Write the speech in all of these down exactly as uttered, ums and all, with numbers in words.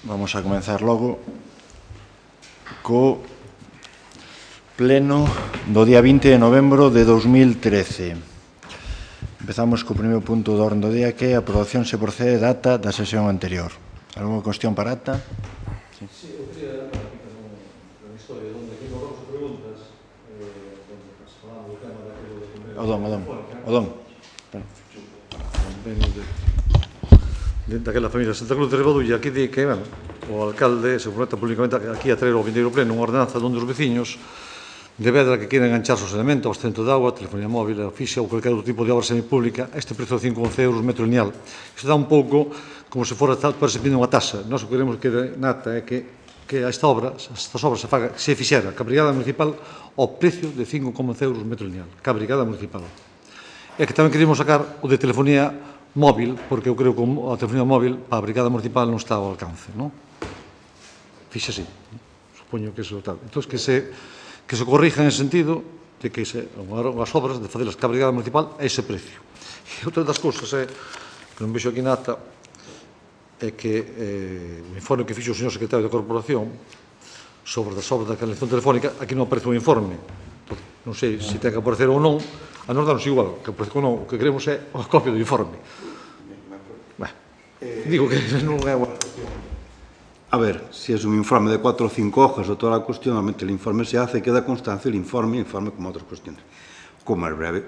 Vamos a comenzar logo co pleno do día vinte de novembro de dos mil trece. Empezamos co primeiro punto do orden do día, que é a aprobación se procede da ata da sesión anterior. Algúna cuestión para ata? Sí, sí, eu quería unha historia onde aquí nos vamos a preguntas, onde falamos do tema daquilo de comer... O don, o don, o don. Daquela familia Santa Cruz de Ribadullo, aquí di que, bueno, o alcalde se compromete públicamente aquí a traer ao vindeiro pleno unha ordenanza donde os veciños de Vedra que queren engancharse os elementos, abastecemento de agua, telefonía móvil, oficia ou cualquier outro tipo de obra semipública, este prezo de cinco a once euros metro lineal. Isto dá un pouco como se fora tal, parece pedindo unha tasa. Nós o que queremos que nata é que, que esta obra, estas obras se faga, se fixera que a Brigada Municipal ao precio de cinco a once euros metro lineal, que a Brigada Municipal. E que tamén queríamos sacar o de telefonía móvil, porque eu creo que a telefonía móvil para a Brigada Municipal non está ao alcance, non? Fixe así, supoño que iso tal. Entón, que se, que se corrija en ese sentido de que se, as obras de facelas que a Brigada Municipal é ese precio. E outra das cousas é, que non vexo aquí na ata, é que eh, o informe que fixo o señor secretario da Corporación sobre as obras da canalización telefónica, aquí non aparece o informe. Entón, non sei se ten que aparecer ou non, a nos danos igual, que aparece ou non, o que queremos é a copia do informe. Digo que non é unha cuestión. A ver, si es un informe de cuatro o cinco hojas o toda la cuestión, normalmente el informe se hace, queda constancia el informe, el informe como otras cuestiones. Como es breve,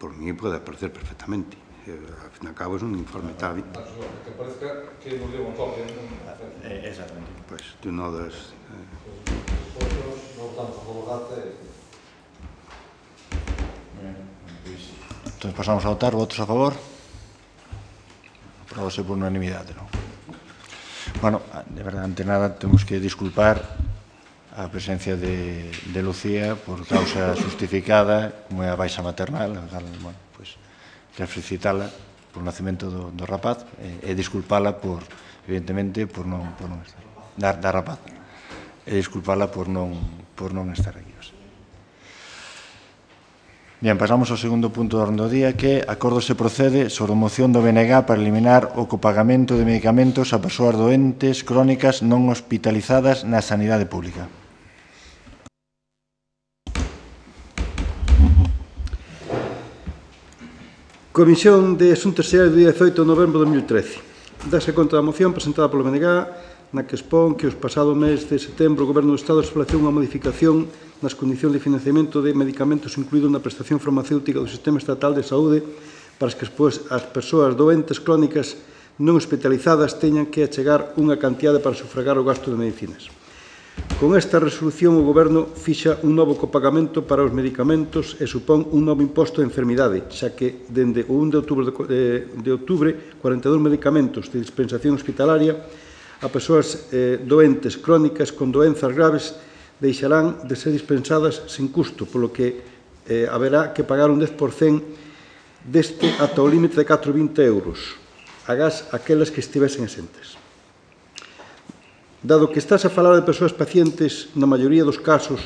por mí puede aparecer perfectamente. Eh, al fin y al cabo es un informe tal. Que parezca que nos dio unha copia. Eh, exactamente. Pues tú no das... Eh... Non votamos a favor da ata. Entón, pasamos a votar. Votos a favor? Aprobase por unanimidade, non? Bueno, de verdade, ante nada, temos que disculpar a presencia de, de Lucía por causa justificada, como é a baixa maternal, bueno, pues, quero felicitala por o nacimento do, do rapaz e, e disculpala por, evidentemente, por non, por non estar, da, da rapaz, e disculpala por non, por non estar aquí. Bien, pasamos ao segundo punto do orden do día, que acordo se procede sobre a moción do B N G para eliminar o copagamento de medicamentos a persoas doentes crónicas non hospitalizadas na sanidade pública. Comisión de Asuntos Sociais do día dezoito de novembro de dos mil trece. Dase conta da moción presentada polo B N G, na que expón que os pasado mes de setembro o Goberno do Estado estableceu unha modificación nas condicións de financiamento de medicamentos incluídos na prestación farmacéutica do Sistema Estatal de Saúde para que as persoas doentes crónicas non hospitalizadas teñan que achegar unha cantidade para sufragar o gasto de medicinas. Con esta resolución o Goberno fixa un novo copagamento para os medicamentos e supón un novo imposto de enfermidade, xa que dende o primeiro de outubro de, de outubro cuarenta e dous medicamentos de dispensación hospitalaria a persoas eh, doentes crónicas con doenzas graves deixarán de ser dispensadas sen custo, polo que eh, haberá que pagar un dez por cento deste ata o límite de catro vinte euros, agás aquelas que estivesen exentes. Dado que estás a falar de persoas pacientes, na maioría dos casos,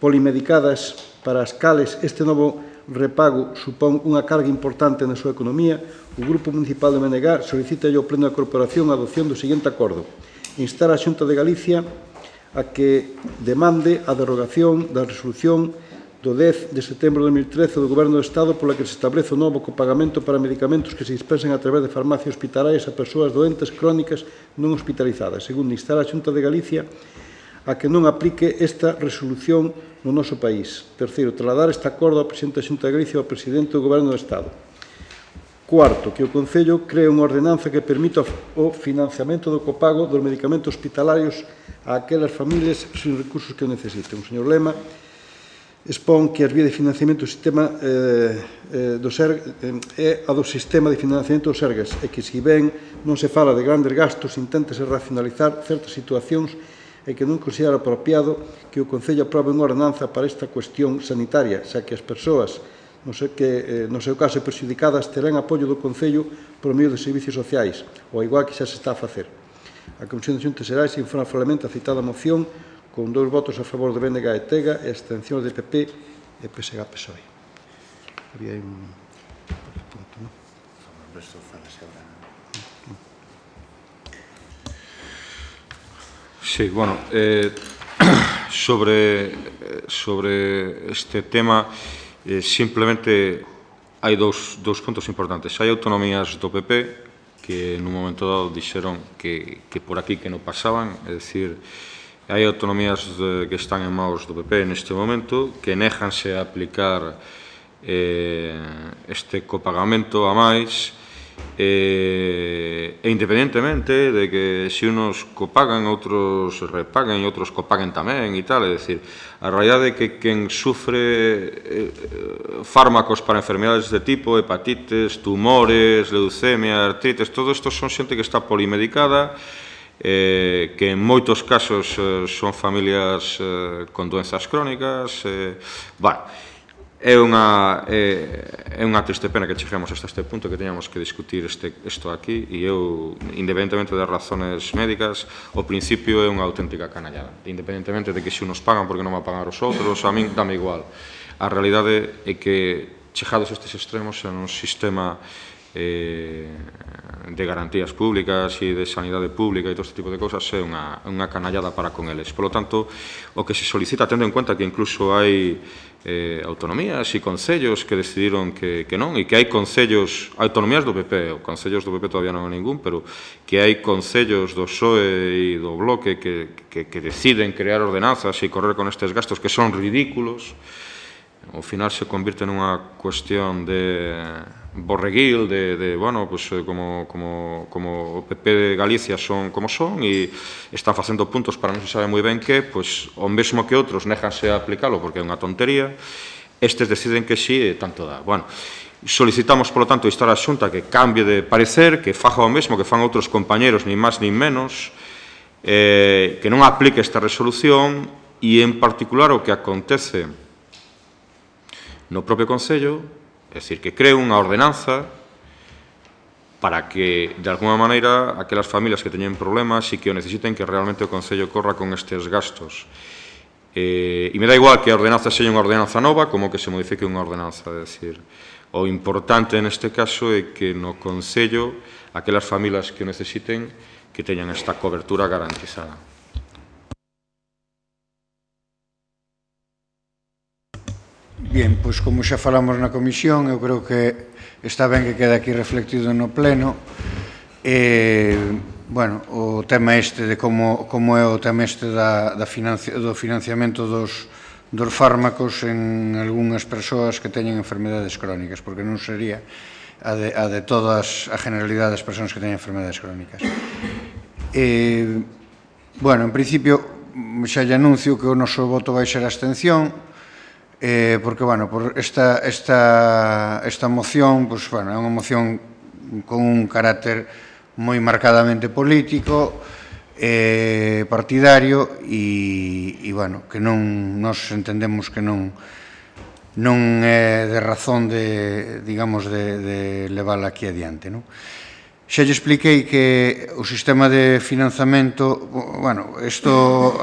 polimedicadas, para as cales este novo repago supón unha carga importante na súa economía, o Grupo Municipal de Menegar solicita ao Pleno da Corporación a adopción do seguinte acordo. Instar a Xunta de Galicia a que demande a derogación da resolución do dez de setembro de dos mil trece do Goberno do Estado pola que se establece o novo copagamento para medicamentos que se dispensan a través de farmacias hospitalarias a persoas doentes crónicas non hospitalizadas. Segundo, instar a Xunta de Galicia a que non aplique esta resolución no noso país. Terceiro, trasladar este acordo ao Presidente da Xunta de Galicia e ao Presidente do Goberno do Estado. Cuarto, que o Concello cree unha ordenanza que permita o financiamento do copago dos medicamentos hospitalarios a aquelas familias sin recursos que o necesiten. O señor Lema expón que as vías de financiamento do sistema eh, eh, do SERG eh, é a do sistema de financiamento do SERGAS e que, se ben non se fala de grandes gastos, inténtase racionalizar certas situacións e que non considera apropiado que o Concello aprobe unha ordenanza para esta cuestión sanitaria, xa que as persoas, no sei que, eh, no seu caso, perxudicadas terán apoio do Concello por medio de servicios sociais, ou igual que xa se está a facer. A Comisión de Xuntas Xerais informa favorablemente a citada moción con dous votos a favor de B N G e Tega e abstencións de P P e P S G P S O E. Había un punto, non? Sí, bueno, eh, sobre, sobre este tema, eh, simplemente hai dous, dous puntos importantes. Hai autonomías do P P que nun momento dado dixeron que, que por aquí que non pasaban, é dicir, hai autonomías de, que están en maus do P P neste momento que néjanse a aplicar eh, este copagamento a máis e, e independentemente de que se unos copagan, outros repaguen e outros copaguen tamén e tal, é dicir, a realidade é que quen sufre eh, fármacos para enfermedades de tipo, hepatites, tumores, leucemia, artritis, todo isto son xente que está polimedicada, eh, que en moitos casos eh, son familias eh, con doenzas crónicas, eh, bueno, é unha, é, é unha triste pena que cheguemos hasta este punto, que teñamos que discutir este, isto aquí, e eu, independentemente das razones médicas, o principio é unha auténtica canallada, independentemente de que se unos pagan porque non va a pagar os outros, a min dame igual. A realidade é que, chegados estes extremos, en un sistema eh, de garantías públicas e de sanidade pública e todo este tipo de cousas é unha, unha canallada para con eles. Por lo tanto, o que se solicita, tendo en conta que incluso hai eh, autonomías e concellos que decidiron que, que non, e que hai concellos, autonomías do P P, o concellos do P P todavía non hai ningún, pero que hai concellos do P S O E e do Bloque que, que, que deciden crear ordenanzas e correr con estes gastos que son ridículos. Ao final se convirte nunha cuestión de borreguil, de, de bueno, pues, como, como, como o P P de Galicia son como son e están facendo puntos para non se sabe moi ben que, pues, o mesmo que outros néjanse a aplicalo porque é unha tontería, estes deciden que sí e tanto dá. Bueno, solicitamos, polo tanto, instar a Xunta que cambie de parecer, que faja o mesmo que fan outros compañeros, nin máis nin menos, eh, que non aplique esta resolución e, en particular, o que acontece no propio Concello, é dicir, que cree unha ordenanza para que, de alguma maneira, aquelas familias que teñen problemas e que o necesiten, que realmente o Concello corra con estes gastos. Eh, e me dá igual que a ordenanza sexa unha ordenanza nova como que se modifique unha ordenanza, é dicir, o importante neste caso é que no Concello, aquelas familias que o necesiten, que teñan esta cobertura garantizada. Bien, pois como xa falamos na comisión, eu creo que está ben que quede aquí reflectido no pleno. E, bueno, o tema este de como, como é o tema este da, da financi, do financiamento dos, dos fármacos en algunhas persoas que teñen enfermedades crónicas, porque non sería a de, a de todas a generalidade das persoas que teñen enfermedades crónicas. E, bueno, en principio, xa lle anuncio que o noso voto vai ser a abstención, Eh, porque, bueno, por esta, esta, esta moción, pues, bueno, é unha moción con un carácter moi marcadamente político, eh, partidario, e, e, bueno, que non, nos entendemos que non, non é de razón de, digamos, de, de levála aquí adiante, non? Xa lle expliquei que o sistema de financiamento, bueno, isto,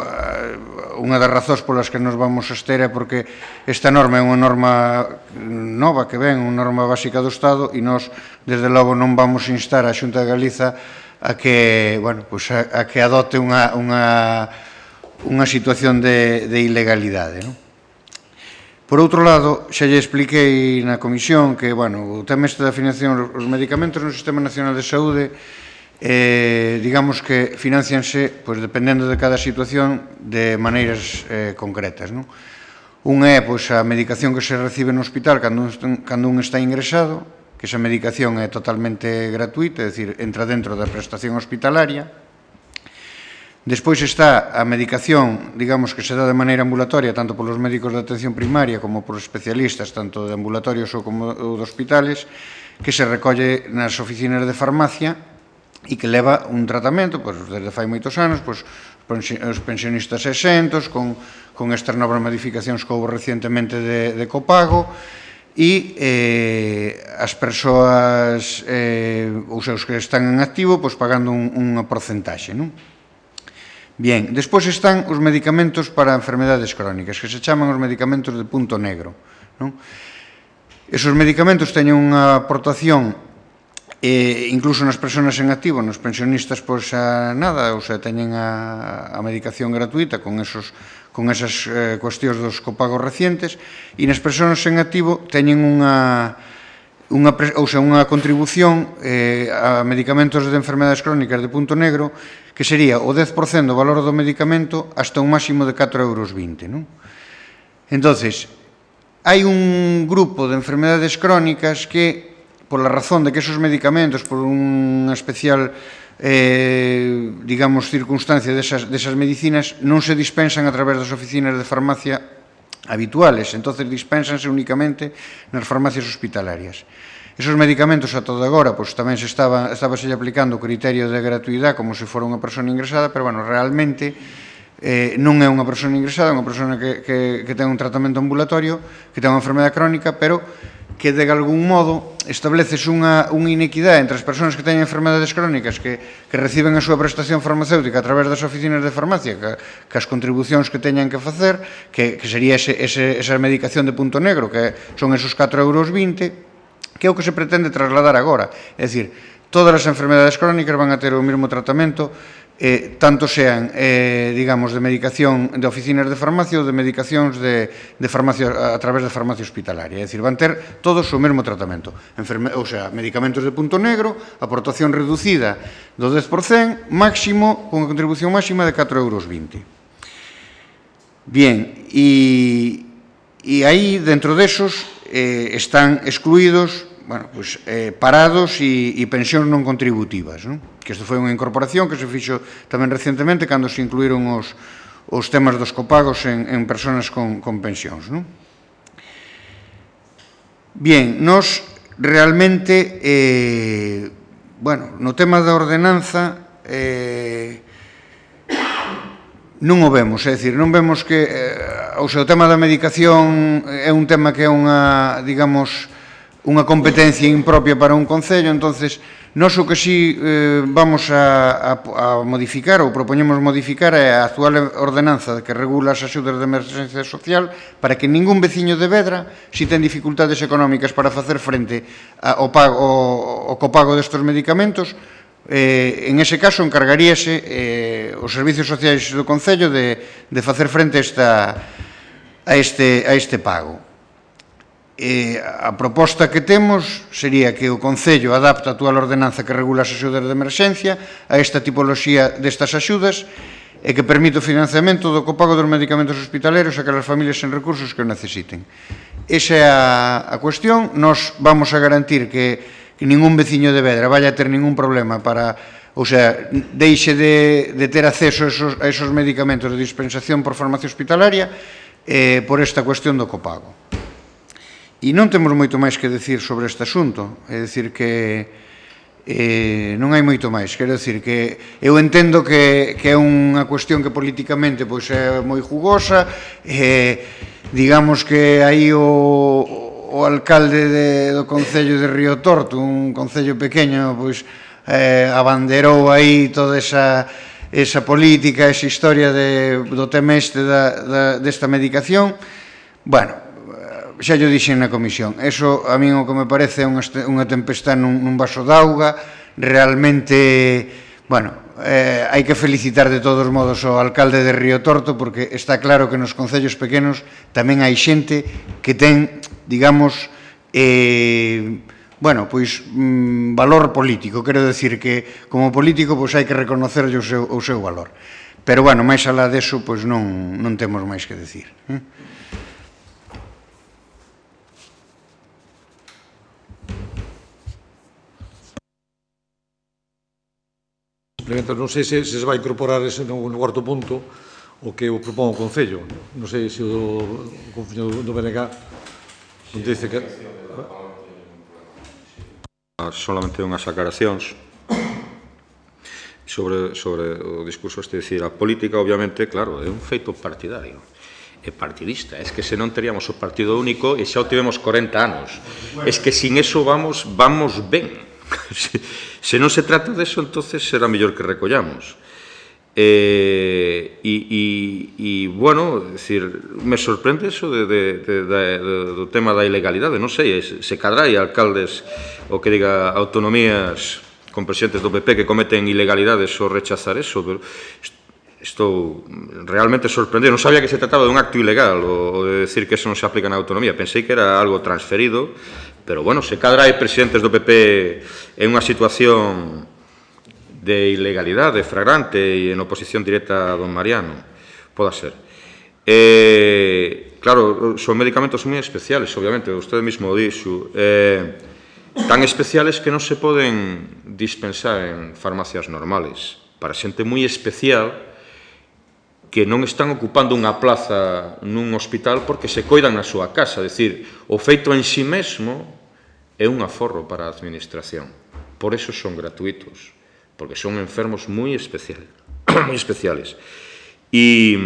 unha das razóns polas que nos vamos a abster é porque esta norma é unha norma nova que ven, unha norma básica do Estado, e nós, desde logo, non vamos a instar a Xunta de Galiza a que, bueno, pues a, a que adote unha, unha, unha situación de, de ilegalidade, non? Por outro lado, xa lle expliquei na comisión que, bueno, o tema este da financiación dos medicamentos no Sistema Nacional de Saúde, eh, digamos que financianse, pois, dependendo de cada situación, de maneiras eh, concretas, non? Unha é, pois, a medicación que se recibe no hospital cando un, cando un está ingresado, que esa medicación é totalmente gratuita, é dicir, entra dentro da prestación hospitalaria. Despois está a medicación, digamos, que se dá de maneira ambulatoria tanto polos médicos de atención primaria como polos especialistas, tanto de ambulatorios ou como de hospitales, que se recolle nas oficinas de farmacia e que leva un tratamento, pois, desde fai moitos anos, pois, os pensionistas exentos, con, con estas novas modificacións que houve recientemente de, de copago, e eh, as persoas, eh, os seus que están en activo, pois, pagando un, unha porcentaxe, non? Bien, despois están os medicamentos para enfermedades crónicas, que se chaman os medicamentos de punto negro, non? Esos medicamentos teñen unha aportación E incluso nas persoas en activo, nos pensionistas, pois a nada, ou sea, teñen a, a medicación gratuita con esos con esas eh, cuestións dos copagos recientes, e nas persoas en activo teñen unha unha, ou sea, unha contribución eh, a medicamentos de enfermedades crónicas de punto negro que sería o dez por cento do valor do medicamento hasta un máximo de catro euros vinte, non? Entonces, hai un grupo de enfermedades crónicas que, por la razón de que esos medicamentos, por unha especial, eh, digamos, circunstancia desas, desas medicinas, non se dispensan a través das oficinas de farmacia habituales, entonces dispensanse únicamente nas farmacias hospitalarias. Esos medicamentos a todo agora, pois tamén se estaba, estaba se aplicando o criterio de gratuidade como se fora unha persona ingresada, pero, bueno, realmente eh, non é unha persona ingresada, é unha persona que, que, que ten un tratamento ambulatorio, que ten unha enfermedade crónica, pero que de algún modo estableces unha, unha inequidade entre as persoas que teñen enfermedades crónicas que, que reciben a súa prestación farmacéutica a través das oficinas de farmacia, que, que as contribucións que teñan que facer, que, que sería ese, ese, esa medicación de punto negro, que son esos catro euros vinte, que é o que se pretende trasladar agora. É dicir, todas as enfermedades crónicas van a ter o mesmo tratamento, eh, tanto sean, eh, digamos, de medicación de oficinas de farmacia ou de medicacións de, de farmacia, a través de farmacia hospitalaria. É dicir, van ter todos o mesmo tratamento. Enferme, ou sea, medicamentos de punto negro, aportación reducida do dez por cento, máximo, con a contribución máxima de catro euros vinte. Bien, e, e aí, dentro desos, eh, están excluídos, bueno, pues, eh, parados e, e pensións non contributivas, non? Que isto foi unha incorporación que se fixo tamén recentemente cando se incluíron os, os temas dos copagos en, en persoas con, con pensións, non? Bien, nos realmente, eh, bueno, no tema da ordenanza, eh, non o vemos, é dicir, non vemos que, eh, o sea, o tema da medicación é un tema que é unha, digamos, unha competencia impropia para un concello, entonces, nós o que sí eh, vamos a, a, a modificar, ou propoñemos modificar, é a actual ordenanza que regula as axudas de emerxencia social para que ningún veciño de Vedra, si ten dificultades económicas para facer frente ao, pago, ao copago destes medicamentos, eh, en ese caso encargaríase eh, os servicios sociais do concello de, de facer frente a, esta, a, este, a este pago. E a proposta que temos sería que o Concello adapte a actual ordenanza que regula as axudas de emerxencia a esta tipoloxía destas axudas e que permite o financiamento do copago dos medicamentos hospitaleros a aquelas familias sen recursos que o necesiten. Esa é a, a cuestión. Nos vamos a garantir que, que ningún veciño de Vedra vaya a ter ningún problema para, ou sea, deixe de, de ter acceso a esos, a esos medicamentos de dispensación por farmacia hospitalaria eh, por esta cuestión do copago. E non temos moito máis que decir sobre este asunto, é dicir que eh, non hai moito máis, quero dicir que eu entendo que, que é unha cuestión que políticamente pois, é moi jugosa, eh, digamos que aí o, o alcalde de, do Concello de Río Torto, un concello pequeño, pois eh, abanderou aí toda esa, esa política, esa historia de, do tema este da, da, desta medicación. Bueno, xa yo dixen na comisión, eso a mí o que me parece é unha tempestade nun, nun vaso d'auga, realmente, bueno, eh, hai que felicitar de todos modos ao alcalde de Río Torto porque está claro que nos concellos pequenos tamén hai xente que ten, digamos, eh, bueno, pois, mm, valor político, quero decir que como político pois hai que reconocerlle o seu, o seu valor. Pero, bueno, máis alá deso, pois non, non temos máis que decir. Eh? Non sei se, se se vai incorporar ese no, no cuarto punto o que o propón o Concello. Non sei se o, o Concello do B N G non dice que... Solamente unhas aclaracións sobre, sobre o discurso este, decir, a política, obviamente, claro, é un feito partidario, é partidista, é que se non teríamos o partido único e xa o tivemos corenta anos, é que sin eso vamos, vamos ben. Se non se trata de eso, entonces será mellor que recollamos. E, e, e, bueno, decir, me sorprende eso de, de, de, de, do tema da ilegalidade, non sei, se cadra hai alcaldes o que diga autonomías con presidentes do P P que cometen ilegalidades ou rechazar eso, pero estou realmente sorprendido, non sabía que se trataba de un acto ilegal ou de decir que eso non se aplica na autonomía, pensei que era algo transferido, pero bueno, se cadra hai presidentes do P P en unha situación de ilegalidade fragrante e en oposición directa a don Mariano, poda ser. Eh, claro, son medicamentos moi especiales, obviamente, usted mismo dixo, eh, tan especiales que non se poden dispensar en farmacias normales, para xente moi especial que non están ocupando unha plaza nun hospital porque se coidan na súa casa, é dicir, o feito en si mesmo é un aforro para a administración, por eso son gratuitos, porque son enfermos moi especiales, moi especiales. E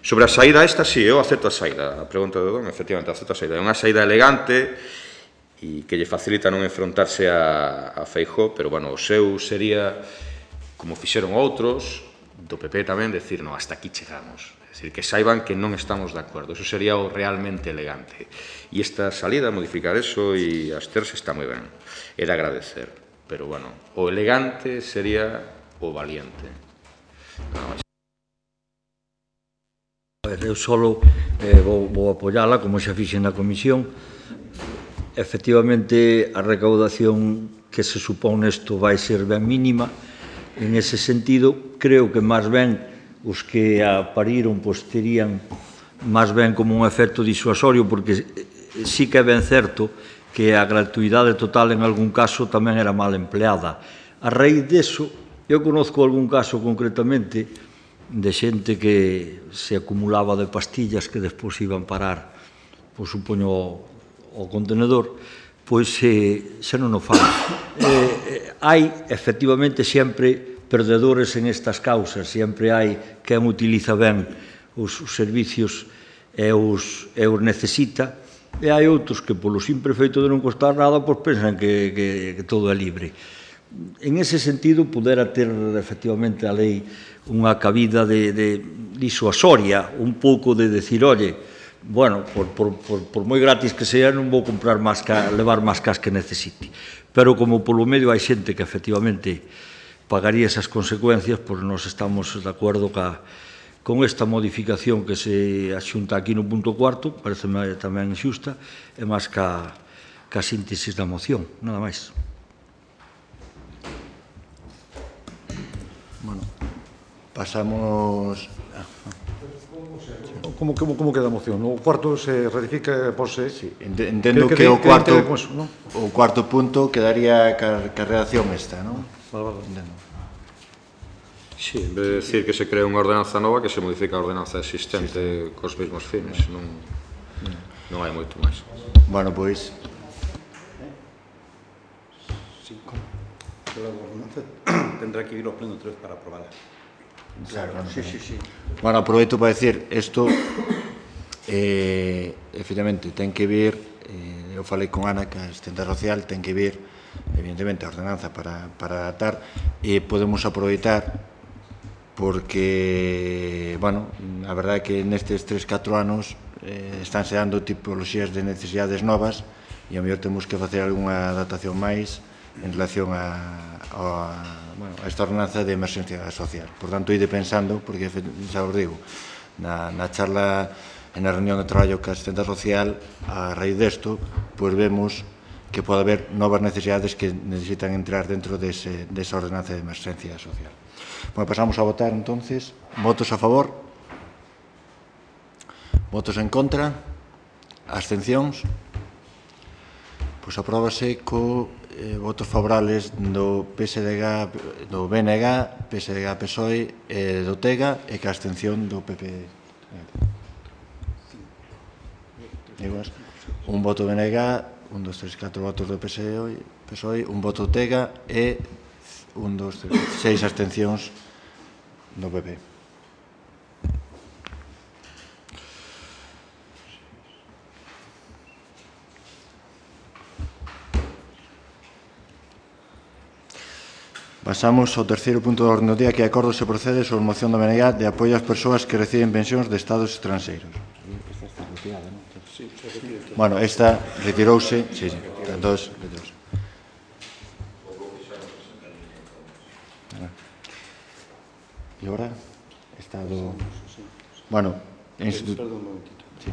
sobre a saída esta, sí, eu acepto a saída. A pregunta de Don, efectivamente, acepto a saída. É unha saída elegante e que lle facilita non enfrontarse a, a Feijóo, pero, bueno, o seu sería, como fixeron outros, do P P tamén, decir, no, hasta aquí chegamos. É dicir, que saiban que non estamos de acordo. Eso sería o realmente elegante. E esta salida, modificar eso e absterse está moi ben. Era agradecer. Pero, bueno, o elegante sería o valiente. No, A ver, eu solo eh, vou, vou apoiala, como xa fixen na comisión. Efectivamente, a recaudación que se supón nesto vai ser ben mínima. En ese sentido, creo que máis ben os que a pariron pois terían máis ben como un efecto disuasorio, porque sí que é ben certo que a gratuidade total en algún caso tamén era mal empleada. A raíz deso, eu conozco algún caso concretamente de xente que se acumulaba de pastillas que despois iban parar, pois supoño, ao contenedor, pois eh, xa non o fan. Eh, hai, efectivamente, sempre perdedores en estas causas, sempre hai quen utiliza ben os, os servicios e os, e os necesita, e hai outros que, polo simple feito de non costar nada, pois pensan que, que, que todo é libre. En ese sentido, pudera ter, efectivamente, a lei unha cabida de, de disuasoria, un pouco de decir, oye, bueno, por, por, por, por moi gratis que sea, non vou comprar máis ca, levar máis cas que necesite. Pero como polo medio hai xente que, efectivamente, pagaría esas consecuencias, pois nós estamos de acordo ca, con esta modificación que se axunta aquí no punto cuarto, parece tamén xusta, e máis ca, ca síntesis da moción, nada máis. Bueno, pasamos... Como, como, como queda a moción? O cuarto se ratifica por se... Sí, entendo que, que, que o cuarto que, que, que, ¿no? O cuarto punto quedaría ca, ca redacción esta, non? Vale, vale. Entendo. Sí, en vez de decir que se crea unha ordenanza nova, que se modifica a ordenanza existente sí, cos mesmos fines, non, non hai moito máis. Bueno, pois... Sí, pero a ordenanza tendrá que ir ao pleno outra vez para aprobarla. Claro, claro, sí, sí, sí. Bueno, aproveito para decir, isto, eh, efectivamente, ten que vir, eh, eu falei con Ana, que a asistente social, ten que vir, evidentemente, a ordenanza para, para adaptar, e podemos aproveitar porque, bueno, a verdade é que nestes tres, catro anos eh, estánse dando tipoloxías de necesidades novas e a mellor temos que facer algunha adaptación máis en relación a, a, bueno, a esta ordenanza de emerxencia social. Por tanto, ide pensando, porque xa os digo, na, na charla, en a reunión de traballo que a asistente social, a raíz desto, pois vemos que pode haber novas necesidades que necesitan entrar dentro dese, desa ordenanza de emerxencia social. Bueno, pasamos a votar, entonces. Votos a favor? Votos en contra? Abstencións? Pois apróbase co eh, votos favorables do P S D G, do B N G, P S D G P S O E e do T E G A e que a abstención do P P. Un voto B N G, un, dos, tres, catro votos do P S O E, un voto T E G A e un, dos, tres, seis abstencións do P P. Pasamos ao terceiro punto do orden do día, que é acordo se procede sobre moción da M N G de apoio ás persoas que reciben pensións de estados estranxeiros. Esta está retirada, non? Bueno, esta retirouse, sí, sí, entón, retirouse. E agora, estado... Bueno, instituto... Perdón, un momentito. Sí.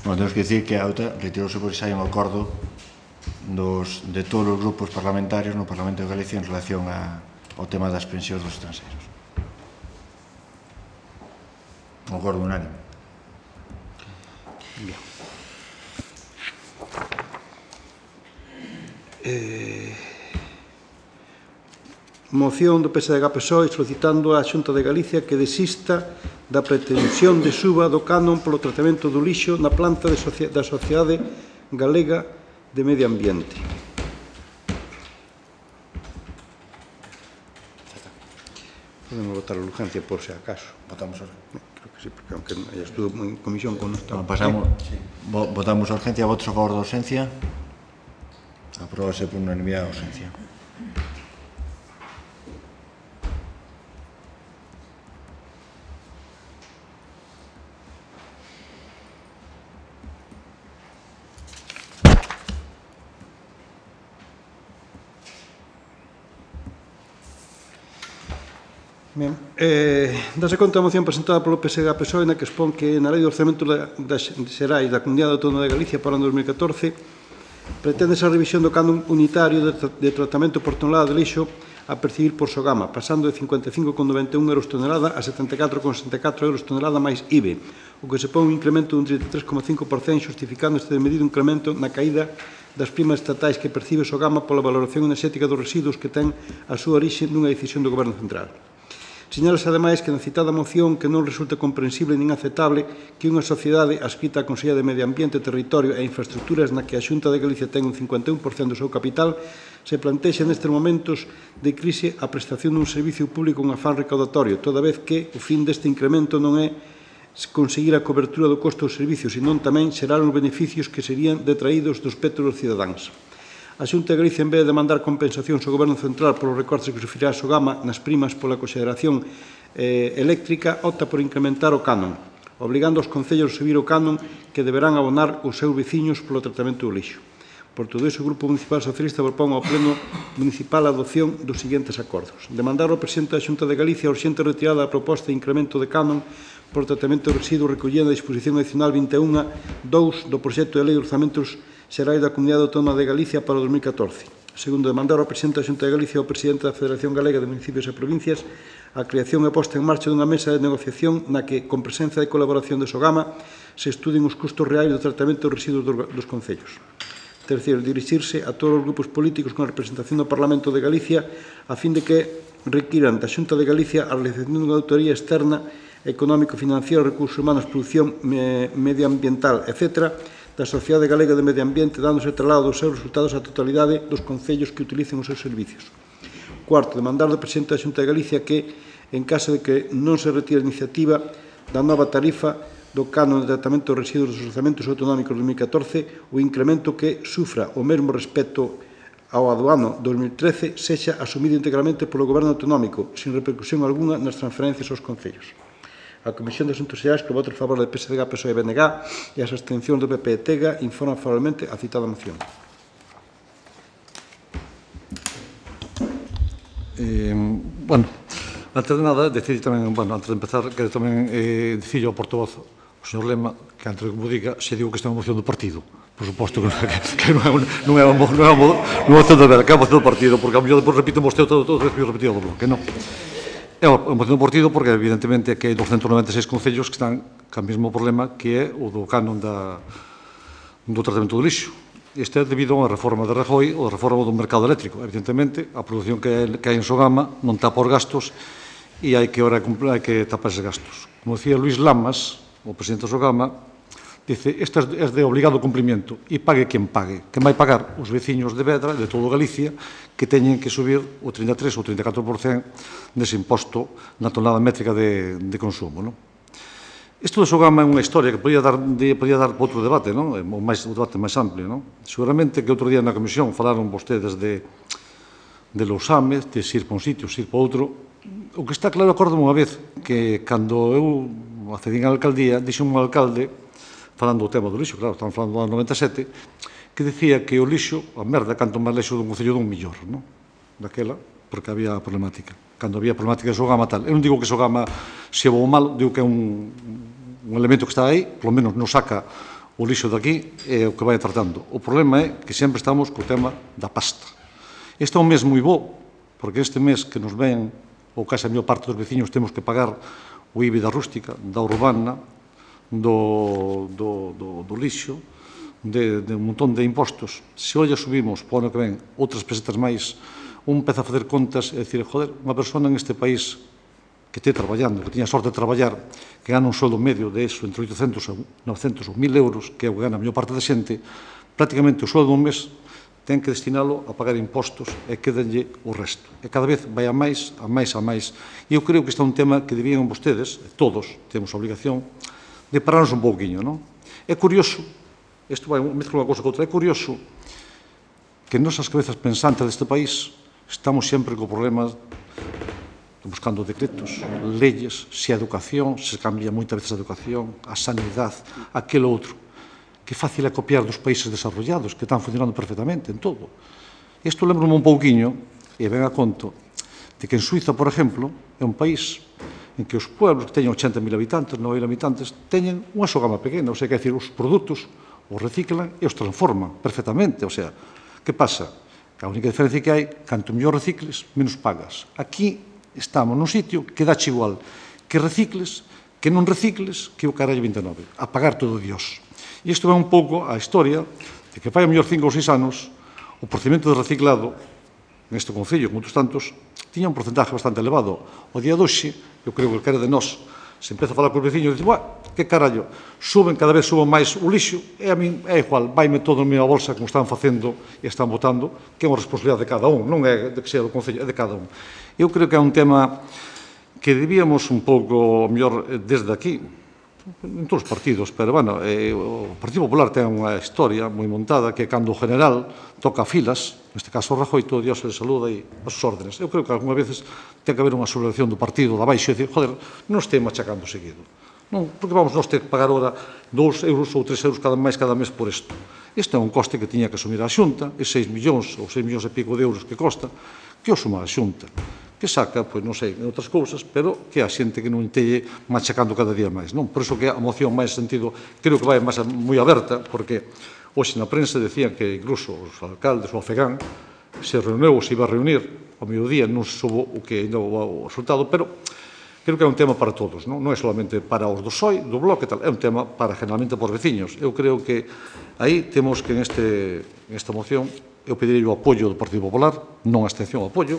Bueno, temos que dicir que a outra retirouse porque xa hai un acordo dos, de todos os grupos parlamentarios no Parlamento de Galicia en relación a, ao tema das pensións dos estranxeiros. Un acordo unánime. Bien. Eh, moción do P S D G P S O E solicitando á Xunta de Galicia que desista da pretensión de suba do canon polo tratamento do lixo na planta de socia da Sociedade Galega de Medio Ambiente. Podemos votar a urgencia por se acaso. Votamos a... Creo que sí, porque aunque ya estuvo en comisión con nuestra... Bueno, pasamos, vo, votamos a urgencia, votos a favor da urgencia. Apróbase por unanimidade a urgencia. Ben, eh, dase conta a moción presentada polo P S D G P S O E na que expón que na Lei de Orzamento das Xerais da Comunidade Autónoma de Galicia para o ano dos mil catorce pretende esa revisión do canon unitario de, tra de tratamento por tonelada de lixo a percibir por Sogama, pasando de cincuenta e cinco con noventa e un euros tonelada a setenta e catro con sesenta e catro euros tonelada máis I V E, o que supón un incremento dun trinta e tres coma cinco por cento, justificando este medido incremento na caída das primas estatais que percibe Sogama pola valoración enerxética dos residuos que ten a súa orixe nunha decisión do Goberno Central. Señalase, ademais, que na citada moción que non resulta comprensible nin aceptable que unha sociedade adscrita á Consellería de Medio Ambiente, Territorio e Infraestructuras na que a Xunta de Galicia ten un cincuenta e un por cento do seu capital se plantexe nestes momentos de crise a prestación dun servicio público con afán recaudatorio, toda vez que o fin deste incremento non é conseguir a cobertura do costo do servicio, senón tamén xerar os beneficios que serían detraídos do espectro dos cidadáns. A Xunta de Galicia, en vez de demandar compensacións ao Goberno Central polos recortes que sufrirá a Sogama nas primas pola consideración eh, eléctrica, opta por incrementar o canon, obligando os concellos a subir o canon que deberán abonar os seus veciños polo tratamento do lixo. Por todo iso, o Grupo Municipal Socialista propón ao Pleno Municipal a adopción dos seguintes acordos. Demandar ao Presidente da Xunta de Galicia a urxente retirada da proposta de incremento de canon por tratamento de residuos recollida na disposición adicional vinte e un punto dous do proxecto de Lei de Orzamentos Xerais da Comunidade Autónoma de Galicia para o dos mil catorce. Segundo, demandar ao Presidente da Xunta de Galicia e ao Presidente da Federación Galega de Municipios e Provincias a creación e posta en marcha dunha mesa de negociación na que, con presencia de colaboración de Sogama, se estudien os custos reais do tratamento dos residuos dos concellos. Terceiro, dirixirse a todos os grupos políticos con representación do Parlamento de Galicia a fin de que requiran da Xunta de Galicia a realización dunha auditoría externa económico-financiera, recursos humanos, producción medioambiental, etcétera, da Sociedade Galega de Medio Ambiente, dándose traslado dos seus resultados á totalidade dos concellos que utilicen os seus servicios. Cuarto, demandar do Presidente da Xunta de Galicia que, en caso de que non se retire a iniciativa da nova tarifa do canon de tratamento de residuos dos orzamentos autonómicos de dos mil catorce, o incremento que sufra o mesmo respecto ao aduano dos mil trece sexa asumido integralmente polo Goberno autonómico, sin repercusión alguna nas transferencias aos concellos. A Comisión de Asuntos Xerais, que vota a favor do P S D G, P S O E e B N G e as abstencións do P P e T E G A, informa favorablemente a citada moción. Eh, bueno, antes de nada, decir tamén, bueno, antes de empezar, quero tamén eh, dicir ao portavoz, o señor Lema, que antes de que me diga, se digo que esta é unha moción do partido. Por suposto que, que, que non é unha, non é unha, non é unha moción de vera, que é unha moción do partido, porque a mellor depois repito vostede todo, todo, todo, repetido, que non. É unha moción do partido porque, evidentemente, que hai doscentos noventa e seis concellos que están co mesmo problema que é o do canon da, do tratamento do lixo. Este é debido a unha reforma de Rajoy ou a reforma do mercado eléctrico. Evidentemente, a produción que hai en Sogama non tapa os gastos e hai que, ora, hai que tapar eses gastos. Como decía Luís Lamas, o presidente de Sogama, dice, esta é de obligado cumprimento e pague quen pague. Quen vai pagar? Os veciños de Vedra, de todo Galicia, que teñen que subir o trinta e tres ou trinta e catro por cento dese imposto na tonelada métrica de, de consumo. Non? Isto do Sogama é unha historia que podía dar, podía dar para outro debate, non? O, máis, o debate máis amplio, non? Seguramente que outro día na comisión falaron vostedes de, de Lousame, de ir para un sitio, ir para outro. O que está claro, acordo unha vez, que cando eu accedín á alcaldía, dixo un alcalde, falando do tema do lixo, claro, estamos falando do ano noventa e sete, que decía que o lixo, a merda, canto máis lixo dun concello dun millor, non? Daquela, porque había problemática. Cando había problemática de Sogama tal. Eu non digo que Sogama se bo ou mal, digo que é un, un elemento que está aí, polo menos non saca o lixo daqui, é o que vai tratando. O problema é que sempre estamos co tema da pasta. Este é un mes moi bo, porque este mes que nos ven, ou case a maior parte dos veciños, temos que pagar o I B I da rústica, da urbana, do, do, do, do lixo, de, de un montón de impostos. Se hoxe subimos, po ano que ven, outras pesetas máis, un empeza a facer contas e dicir, joder, unha persona neste país que este traballando, que tiña sorte de traballar, que gana un soldo medio de eso, entre oitocentos, novecentos ou mil euros, que é o que gana a maior parte da xente, prácticamente o soldo dun mes ten que destinalo a pagar impostos e quedanlle o resto. E cada vez vai a máis, a máis, a máis. E eu creo que este é un tema que debían vostedes, todos, temos a obligación, de pararnos un pouquiño, non? É curioso, isto vai mezclar unha cousa con outra, é curioso que nosas cabezas pensantes deste país estamos sempre co problema buscando decretos, leyes, se a educación, se cambia moitas veces a educación, a sanidade, aquele outro. Que fácil é copiar dos países desarrollados, que están funcionando perfectamente en todo. Isto lembro-me un pouquiño, e ven a conto, de que en Suiza, por exemplo, é un país en que os pueblos que teñen ochenta mil habitantes, nove mil habitantes, teñen unha Sogama pequena, ou sea, que decir, os produtos os reciclan e os transforman perfectamente. O sea, que pasa? Que a única diferencia que hai, canto mellor recicles, menos pagas. Aquí estamos nun sitio que dache igual que recicles, que non recicles, que o carallo vinte e nove. A pagar todo Dios. E isto é un pouco a historia de que fai a mellor cinco ou seis anos o procedimento de reciclado neste concello, como outros tantos, tiña un porcentaje bastante elevado. O día de hoxe, eu creo que calquera de nós se empeza a falar con os veciños e dice, buah, que carallo, suben, cada vez suben máis o lixo, e a min é igual, vaime todo na minha bolsa como están facendo e están votando, que é unha responsabilidade de cada un, non é de que sea do concello, é de cada un. Eu creo que é un tema que debíamos un pouco, mellor, desde aquí, en todos os partidos, pero, bueno, eh, o Partido Popular ten unha historia moi montada que cando o general toca filas, neste caso o Rajoy, todo Dios se le saluda e as súas órdenes. Eu creo que algunha veces ten que haber unha subvención do partido da baixo e dicir, joder, non este machacando seguido. Non, porque vamos nós ter que pagar ahora dous euros ou tres euros cada máis cada mes por isto. Isto é un coste que tiña que asumir a Xunta, e seis millóns ou seis millóns e pico de euros que costa, que o suma a Xunta, que saca, pois non sei, en outras cousas, pero que a xente que non teñe machacando cada día máis, non? Por iso que a moción máis sentido, creo que vai máis moi aberta, porque hoxe na prensa decían que incluso os alcaldes, o Afegán, se reuneu ou se iba a reunir ao mediodía, non se soubo o que ainda o resultado, pero creo que é un tema para todos, non? Non é solamente para os do P S O E, do Bloque, tal, é un tema para generalmente para os veciños. Eu creo que aí temos que en este, en esta moción eu pediría o apoio do Partido Popular, non a abstención, o apoio,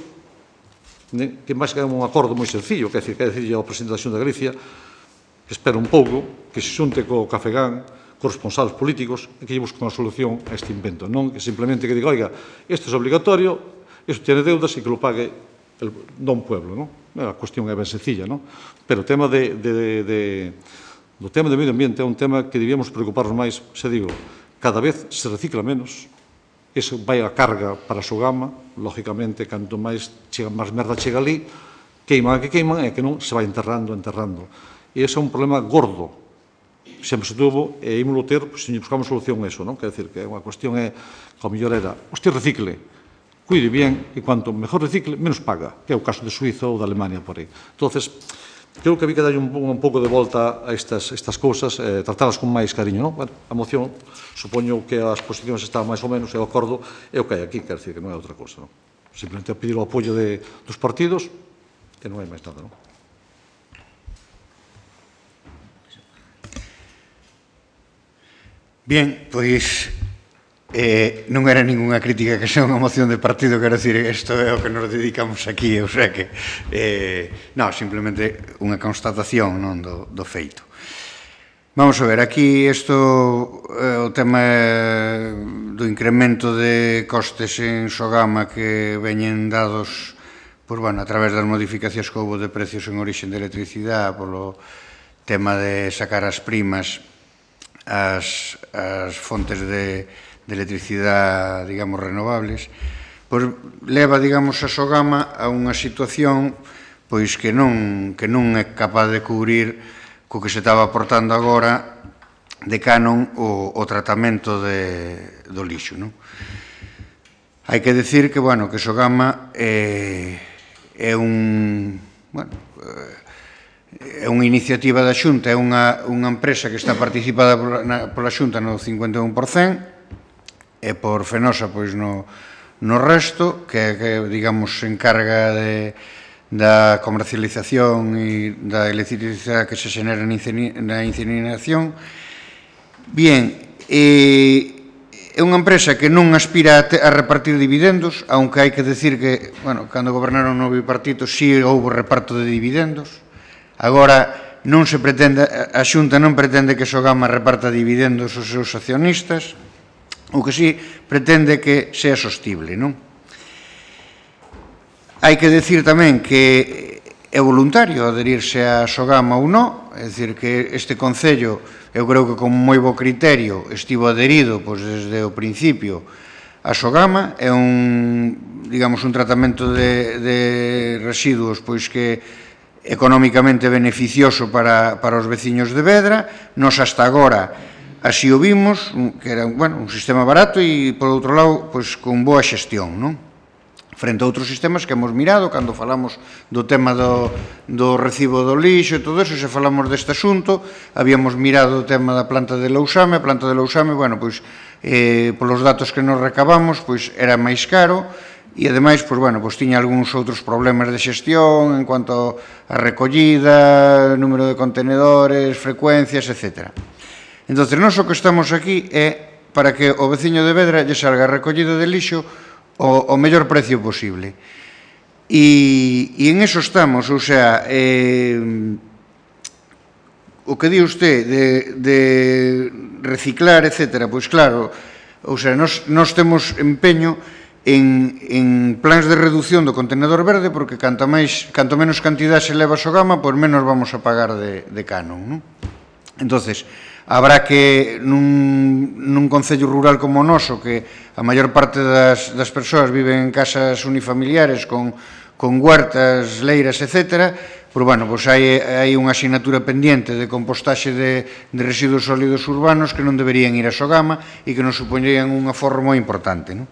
que máis que é un acordo moi sencillo, que é dicir, que é dicir ao presidente da Xunta de Galicia que espera un pouco, que se xunte co Cafegán, cos responsables políticos e que lle busque unha solución a este invento, non que simplemente que diga, oiga, isto é obligatorio, isto tiene deudas e que lo pague el don pueblo, non? A cuestión é ben sencilla, non? Pero o tema de, de, de, do tema do medio ambiente é un tema que debíamos preocuparnos máis, se digo, cada vez se recicla menos, iso vai a carga para a Sogama, lógicamente, canto máis, chega, máis merda chega ali, queiman a que queiman e que non se vai enterrando, enterrando. E ese é un problema gordo, sempre se tuvo, e ímolo ter, pois, se buscamos solución a eso, non? Quer dizer, que unha cuestión é, que ao mellor era, hostia, recicle, cuide bien, e cuanto mejor recicle, menos paga, que é o caso de Suiza ou de Alemania, por aí. Entonces, creo que había que dar un, un pouco de volta a estas, estas cousas, eh, tratalas con máis cariño, non? Bueno, a moción, supoño que as posicións están máis ou menos, e o acordo é o que hai aquí, quer dizer, que non é outra cosa, non? Simplemente a pedir o apoio de, dos partidos, e non hai máis nada, non? Bien, pois eh, non era ninguna crítica que sea unha moción de partido, quero dicir, isto é o que nos dedicamos aquí, o sea que eh, non, simplemente unha constatación, non, do, do feito. Vamos a ver, aquí isto, eh, o tema do incremento de costes en Sogama que veñen dados, pois, bueno, a través das modificacións que houve de precios en orixen de electricidade, polo tema de sacar as primas as, as fontes de, de electricidade, digamos, renovables, pois leva, digamos, a Sogama a unha situación pois que non, que non é capaz de cubrir co que se estaba aportando agora de canon o, o tratamento de, do lixo, non? Hai que decir que, bueno, que Sogama é, é un, bueno, é unha iniciativa da Xunta, é unha, unha empresa que está participada pola, na, pola Xunta no cincuenta e un por cento e por Fenosa, pois, no, no resto, que, que digamos, se encarga de, da comercialización e da electricidade que se xenera na incineración. Bien, e é unha empresa que non aspira a, te, a repartir dividendos, aunque hai que decir que, bueno, cando gobernaron o bipartito sí houve reparto de dividendos. Agora non se pretende, a Xunta non pretende que Sogama reparta dividendos aos seus accionistas, o que sí pretende que sea sostible, non? Hai que decir tamén que é voluntario adherirse a Sogama ou non, é dicir, que este Concello, eu creo que con moi bo criterio estivo adherido pois, desde o principio a Sogama, é un, digamos, un tratamento de, de residuos pois que económicamente beneficioso para, para os veciños de Vedra. Nos hasta agora así o vimos, que era, bueno, un sistema barato e, por outro lado, pois, con boa xestión, non? Frente a outros sistemas que hemos mirado, cando falamos do tema do, do recibo do lixo e todo eso, se falamos deste asunto, habíamos mirado o tema da planta de Lousame, a planta de Lousame, bueno, pois, eh, polos datos que nos recabamos, pois, era máis caro, e, ademais, pois, bueno, pois, tiña algúns outros problemas de xestión en cuanto a recollida, número de contenedores, frecuencias, etcétera. Entón, nós o que estamos aquí é para que o veciño de Vedra lle salga recollida de lixo o, o mellor precio posible. E, e en eso estamos, ou sea, eh, o que di usted de, de reciclar, etcétera, pois claro, ou sea, nos, nos temos empeño en, en plans de reducción do contenedor verde, porque canto, máis, canto menos cantidad se leva a Sogama, pois menos vamos a pagar de, de canon, non? Entonces, habrá que nun, nun concello rural como o noso, que a maior parte das, das persoas viven en casas unifamiliares con, con huertas, leiras, etcétera, pois, bueno, pois hai, hai unha asignatura pendiente de compostaxe de, de residuos sólidos urbanos que non deberían ir a Sogama e que nos supoñerían un aforro moi importante, non?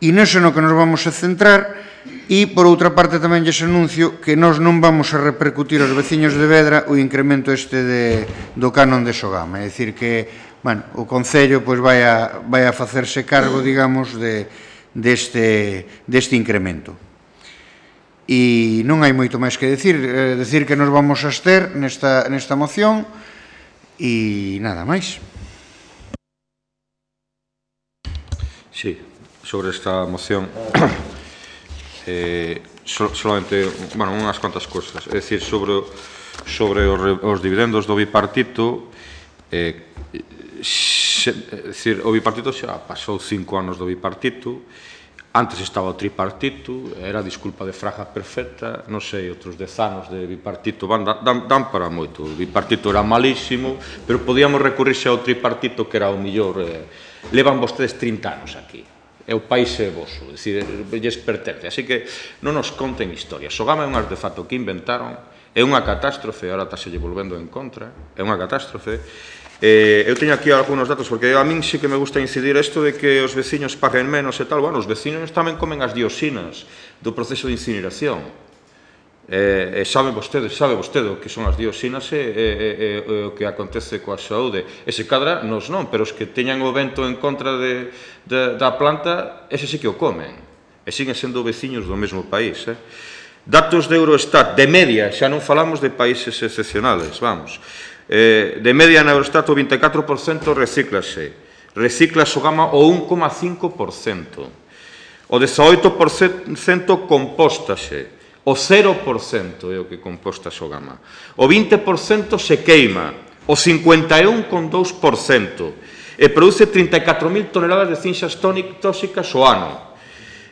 E neso no que nos vamos a centrar. E, por outra parte, tamén lles anuncio que nós non vamos a repercutir aos veciños de Vedra o incremento este de, do canon de Sogama. É dicir que, bueno, o Concello pois, vai, a, vai a facerse cargo, digamos, de, deste, deste incremento. E non hai moito máis que decir. Eh, decir que nos vamos a abster nesta, nesta moción e nada máis. Sí, sobre esta moción... Eh, so, solamente, bueno, unhas cuantas cosas. É dicir, sobre, sobre os, os dividendos do bipartito, eh, xe, é dicir, o bipartito xa pasou cinco anos do bipartito, antes estaba o tripartito, era a disculpa de Fraga perfecta, non sei, outros dez anos de bipartito van, dan, dan para moito. O bipartito era malísimo, pero podíamos recurrirse ao tripartito, que era o millor. Eh, levan vostedes trinta anos aquí. É o país é voso, é dicir, lles pertence. Así que non nos conten historias. Sogama é un artefacto que inventaron, é unha catástrofe, ahora está se lle volvendo en contra, é unha catástrofe. Eh, eu teño aquí algunos datos, porque a min sí que me gusta incidir isto de que os veciños paguen menos e tal. Bueno, os veciños tamén comen as dioxinas do proceso de incineración. Eh, e sabe vostede, sabe vostede o que son as dioxinas e, e, e, e o que acontece coa saúde. E se cadra, nos non, pero os que teñan o vento en contra de, de, da planta, ese sí que o comen. E siguen sendo veciños do mesmo país. Eh? Datos de Eurostat, de media, xa non falamos de países excepcionales, vamos. Eh, de media na Eurostat o vinte e catro por cento recíclase. Recicla Sogama o un coma cinco por cento. O dezaoito por cento compóstase. O cero por cento é o que composta Sogama. O vinte por cento se queima. O cincuenta e un coma dous por cento. E produce trinta e catro mil toneladas de cinxas tóxicas ao ano.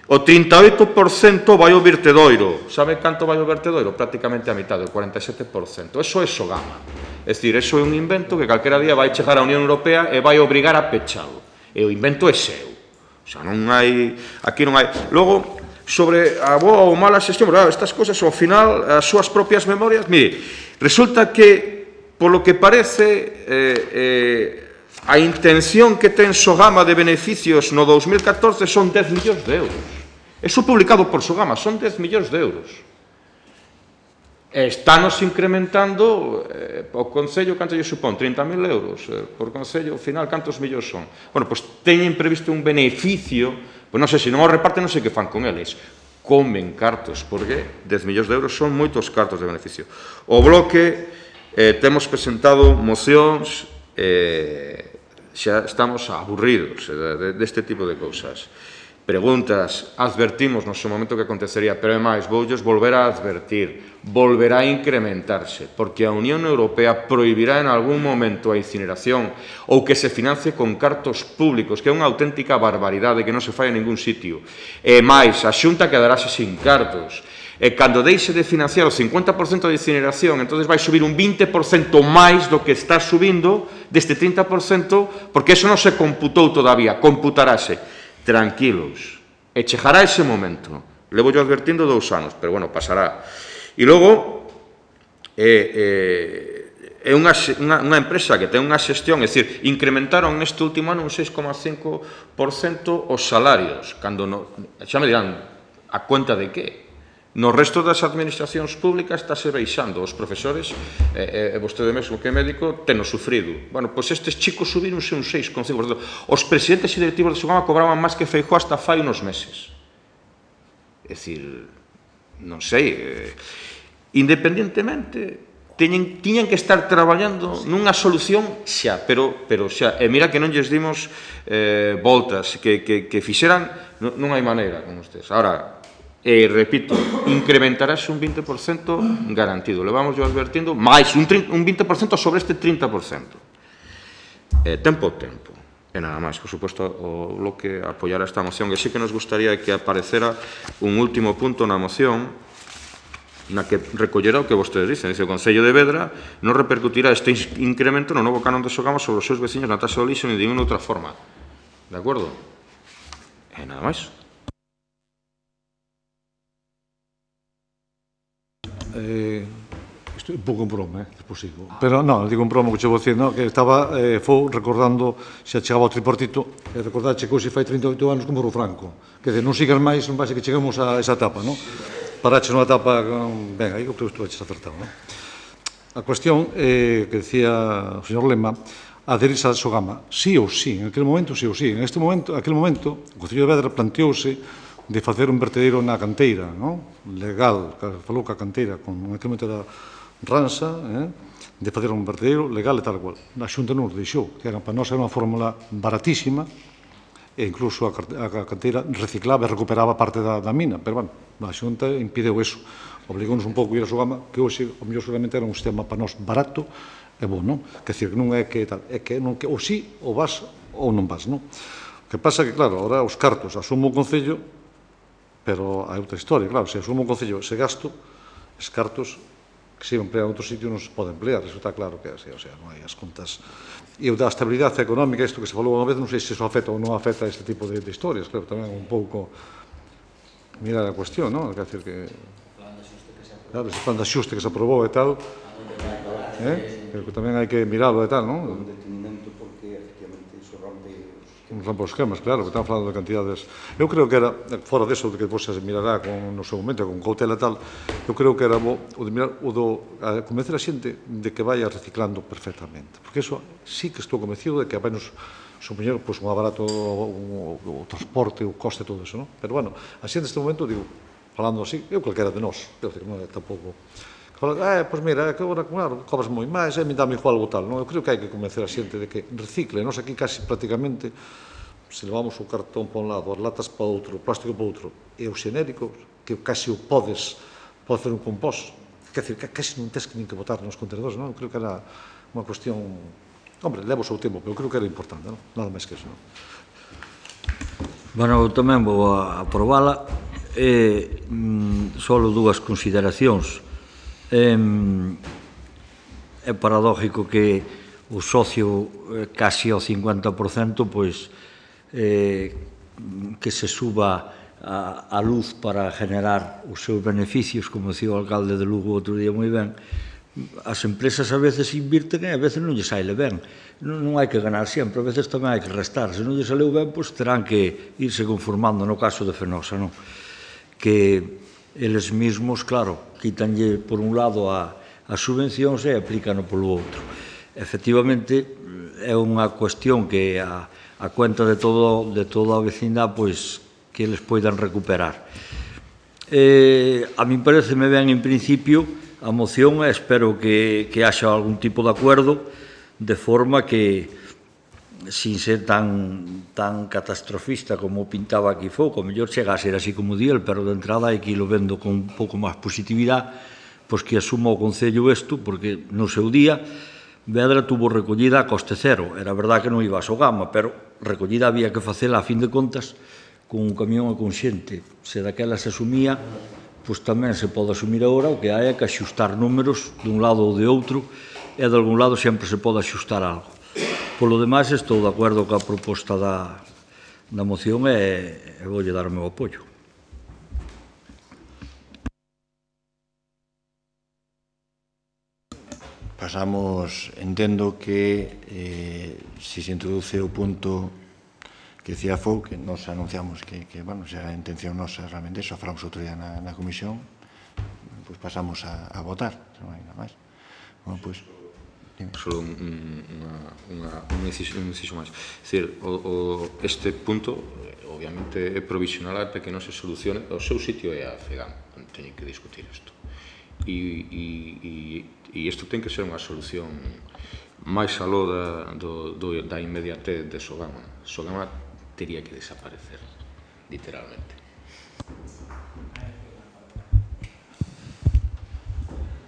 O trinta e oito por cento vai ao vertedoiro. Sabe canto vai ao vertedoiro? Prácticamente a mitad, o cuarenta e sete por cento. Eso é Sogama. É dicir, eso é un invento que calquera día vai chegar á Unión Europea e vai obrigar a pechalo. E o invento é seu. O sea, non hai... Aquí non hai... Logo, sobre a boa ou mala xestión, pero, estas cosas, ao final, as súas propias memorias... Mire, resulta que, polo que parece, eh, eh, a intención que ten Sogama de beneficios no dous mil catorce son dez millóns de euros. Eso publicado por Sogama, son dez millóns de euros. Estános incrementando eh, o Concello, canto lle supón? trinta mil euros eh, por Concello, ao final, cantos millóns son? Bueno, pois teñen previsto un beneficio, pois non sei, se non o reparten, non sei que fan con eles. Comen cartos, porque dez millóns de euros son moitos cartos de beneficio. O Bloque, eh, temos presentado mocións, eh, xa estamos aburridos eh, deste tipo de cousas. Preguntas, advertimos no seu momento que acontecería, pero é máis, voulles volver a advertir, volverá a incrementarse, porque a Unión Europea prohibirá en algún momento a incineración ou que se financie con cartos públicos, que é unha auténtica barbaridade que non se fai en ningún sitio. E máis, a Xunta quedarase sin cartos. E cando deixe de financiar o cincuenta por cento de incineración, entón vai subir un vinte por cento máis do que está subindo deste trinta por cento, porque eso non se computou todavía, computarase. Tranquilos, e chegará ese momento. Levo yo advertindo dous anos, pero, bueno, pasará. E logo, é unha empresa que ten unha xestión, é dicir, incrementaron neste último ano un seis coma cinco por cento os salarios, cando, xa me dirán, a cuenta de que? No resto das administracións públicas estáse baixando. Os profesores, e vostede mesmo que é médico, teno sufrido. Bueno, pois estes chicos subironse un seis coma cinco por cento. Os presidentes e directivos de Sogama cobraban máis que Feijóo hasta fai unos meses. É dicir, non sei, independentemente, tiñan que estar traballando nunha solución xa, pero xa. E mira que non lles dimos voltas, que fixeran, non hai maneira con ustedes. Ahora, e, repito, incrementarase un vinte por cento garantido. Levamos yo advertindo máis un vinte por cento sobre este trinta por cento. Tempo ao tempo. E nada máis, por suposto, o Bloque apoiará esta moción. E sí que nos gustaría que aparecera un último punto na moción na que recollerá o que vostedes dicen. Dice, o Concello de Vedra non repercutirá este incremento no novo canon de Sogama sobre os seus veciños na taxa do lixo ni de ninguna outra forma. De acordo? E nada máis. Eh, isto é un pouco un broma, eh, despois sigo. Pero non, digo un broma que che vou dicir, no? Que estaba, eh, fou recordando, xa chegaba ao tripartito, e recordache que hoxe fai trinta e oito anos como morreu Franco. Que non sigas máis, non vai ser que chegamos a esa etapa, non? Paraches nunha etapa, ben, aí eu creo que estuveches acertado, non? A cuestión eh, que decía o señor Lema, adherirse a Sogama, sí ou sí, en aquel momento sí ou sí. En este momento, aquel momento, o Concello de Vedra planteouse de facer un vertedero na canteira, non? Legal, falou ca canteira, con un quilómetro da Ransa, eh? de facer un vertedero legal e tal cual. A Xunta non nos deixou, que era, para nós era unha fórmula baratísima, e incluso a canteira reciclaba e recuperaba parte da, da mina, pero, bueno, a Xunta impideu eso. Obligounos un pouco a ir a Sogama, que hoxe, o mellor seguramente era un sistema para nós barato e bon, non? Que decir, que non é que tal, é que non que ou sí, ou vas, ou non vas, non? O que pasa é que, claro, ahora os cartos asumo o Concello, pero hai outra historia, claro, se asumo o Concello ese gasto, os cartos que se emplean en outro sitio non se pode emplear, iso está claro que é así, o sea, non hai as contas. E o da estabilidade económica, isto que se falou unha vez, non sei se iso afecta ou non afecta a este tipo de, de historias, claro, tamén un pouco mirar a cuestión, non? Quer dizer que... Claro, ese plan de axuste que se aprobou e tal, eh? Pero que tamén hai que miralo e tal, non? Un detenimento porque, efectivamente, iso rompe rompe os esquemas, claro, que están falando de cantidades. Eu creo que era, fora deso, de que depois se mirará con, no seu momento, con cautela e tal, eu creo que era bo, o de mirar, o do, a convencer a xente de que vaya reciclando perfectamente. Porque eso sí que estou convencido de que vai nos supoñer pois, un barato o, o, o transporte, o coste, todo eso, non? Pero, bueno, a xente neste momento, digo, falando así, eu calquera de nós, eu digo, non é tampouco... Eh, pois mira, que agora, claro, cobras moi máis, e me dame igual o tal, non? Eu creo que hai que convencer a xente de que recicle. Nós aquí casi prácticamente, se levamos o cartón para un lado, as latas para outro, o plástico para outro, e os xenéricos, que casi o podes, podes facer un compost, quer dizer, que casi non tens que nin que botar nos contenedores, non? Eu creo que era unha cuestión, hombre, levo o seu tempo, pero eu creo que era importante, non? Nada máis que eso, non? Bueno, eu tamén vou a aprobala. E mm, só dúas consideracións. É, é paradójico que o socio eh, casi ao cincuenta por cento pois, eh, que se suba a, a luz para generar os seus beneficios, como decía o alcalde de Lugo outro día moi ben. As empresas a veces invirten e a veces non lle saile ben. Non, non hai que ganar sempre, a veces tamén hai que restar. Se non lle saleu ben, pois terán que irse conformando, no caso de Fenosa, non? Que eles mesmos, claro, quitanlle por un lado a, as subvencións e aplícano polo outro. Efectivamente, é unha cuestión que a, a cuenta de, todo, de toda a vecindade, pois, que eles poidan recuperar. Eh, a min pareceme ben, en principio, a moción e espero que, que haxa algún tipo de acuerdo de forma que, sin ser tan, tan catastrofista como pintaba aquí Fouco, o mellor chega a ser así como di el, pero de entrada hai que irlo vendo con un pouco máis positividade, pois que asuma o Concello isto, porque no seu día Vedra tuvo recollida a coste cero. Era verdad que non iba a Sogama, pero recollida había que facela a fin de contas con un camión e con xente. Se daquela se asumía, pois tamén se pode asumir agora, o que hai é que axustar números dun lado ou de outro, e de algún lado sempre se pode axustar algo. Polo demais, estou de acordo coa proposta da, da moción e, e voulle dar o meu apoio. Pasamos, entendo que eh, si se introduce o punto que decía Fou, que nos anunciamos que, que bueno, se era a intención nosa realmente, eso falamos outro día na, na comisión, pois pues pasamos a, a votar, non hai nada máis. Bueno, pois, pues, só un, unha, unha, un inciso, un inciso máis. É dicir, o, o, este punto, obviamente, é provisional para que non se solucione. O seu sitio é a FEGAM, non teñen que discutir isto. E, e, e, e isto ten que ser unha solución máis aló da, do, do, da inmediatez de Sogama. Sogama tería que desaparecer, literalmente.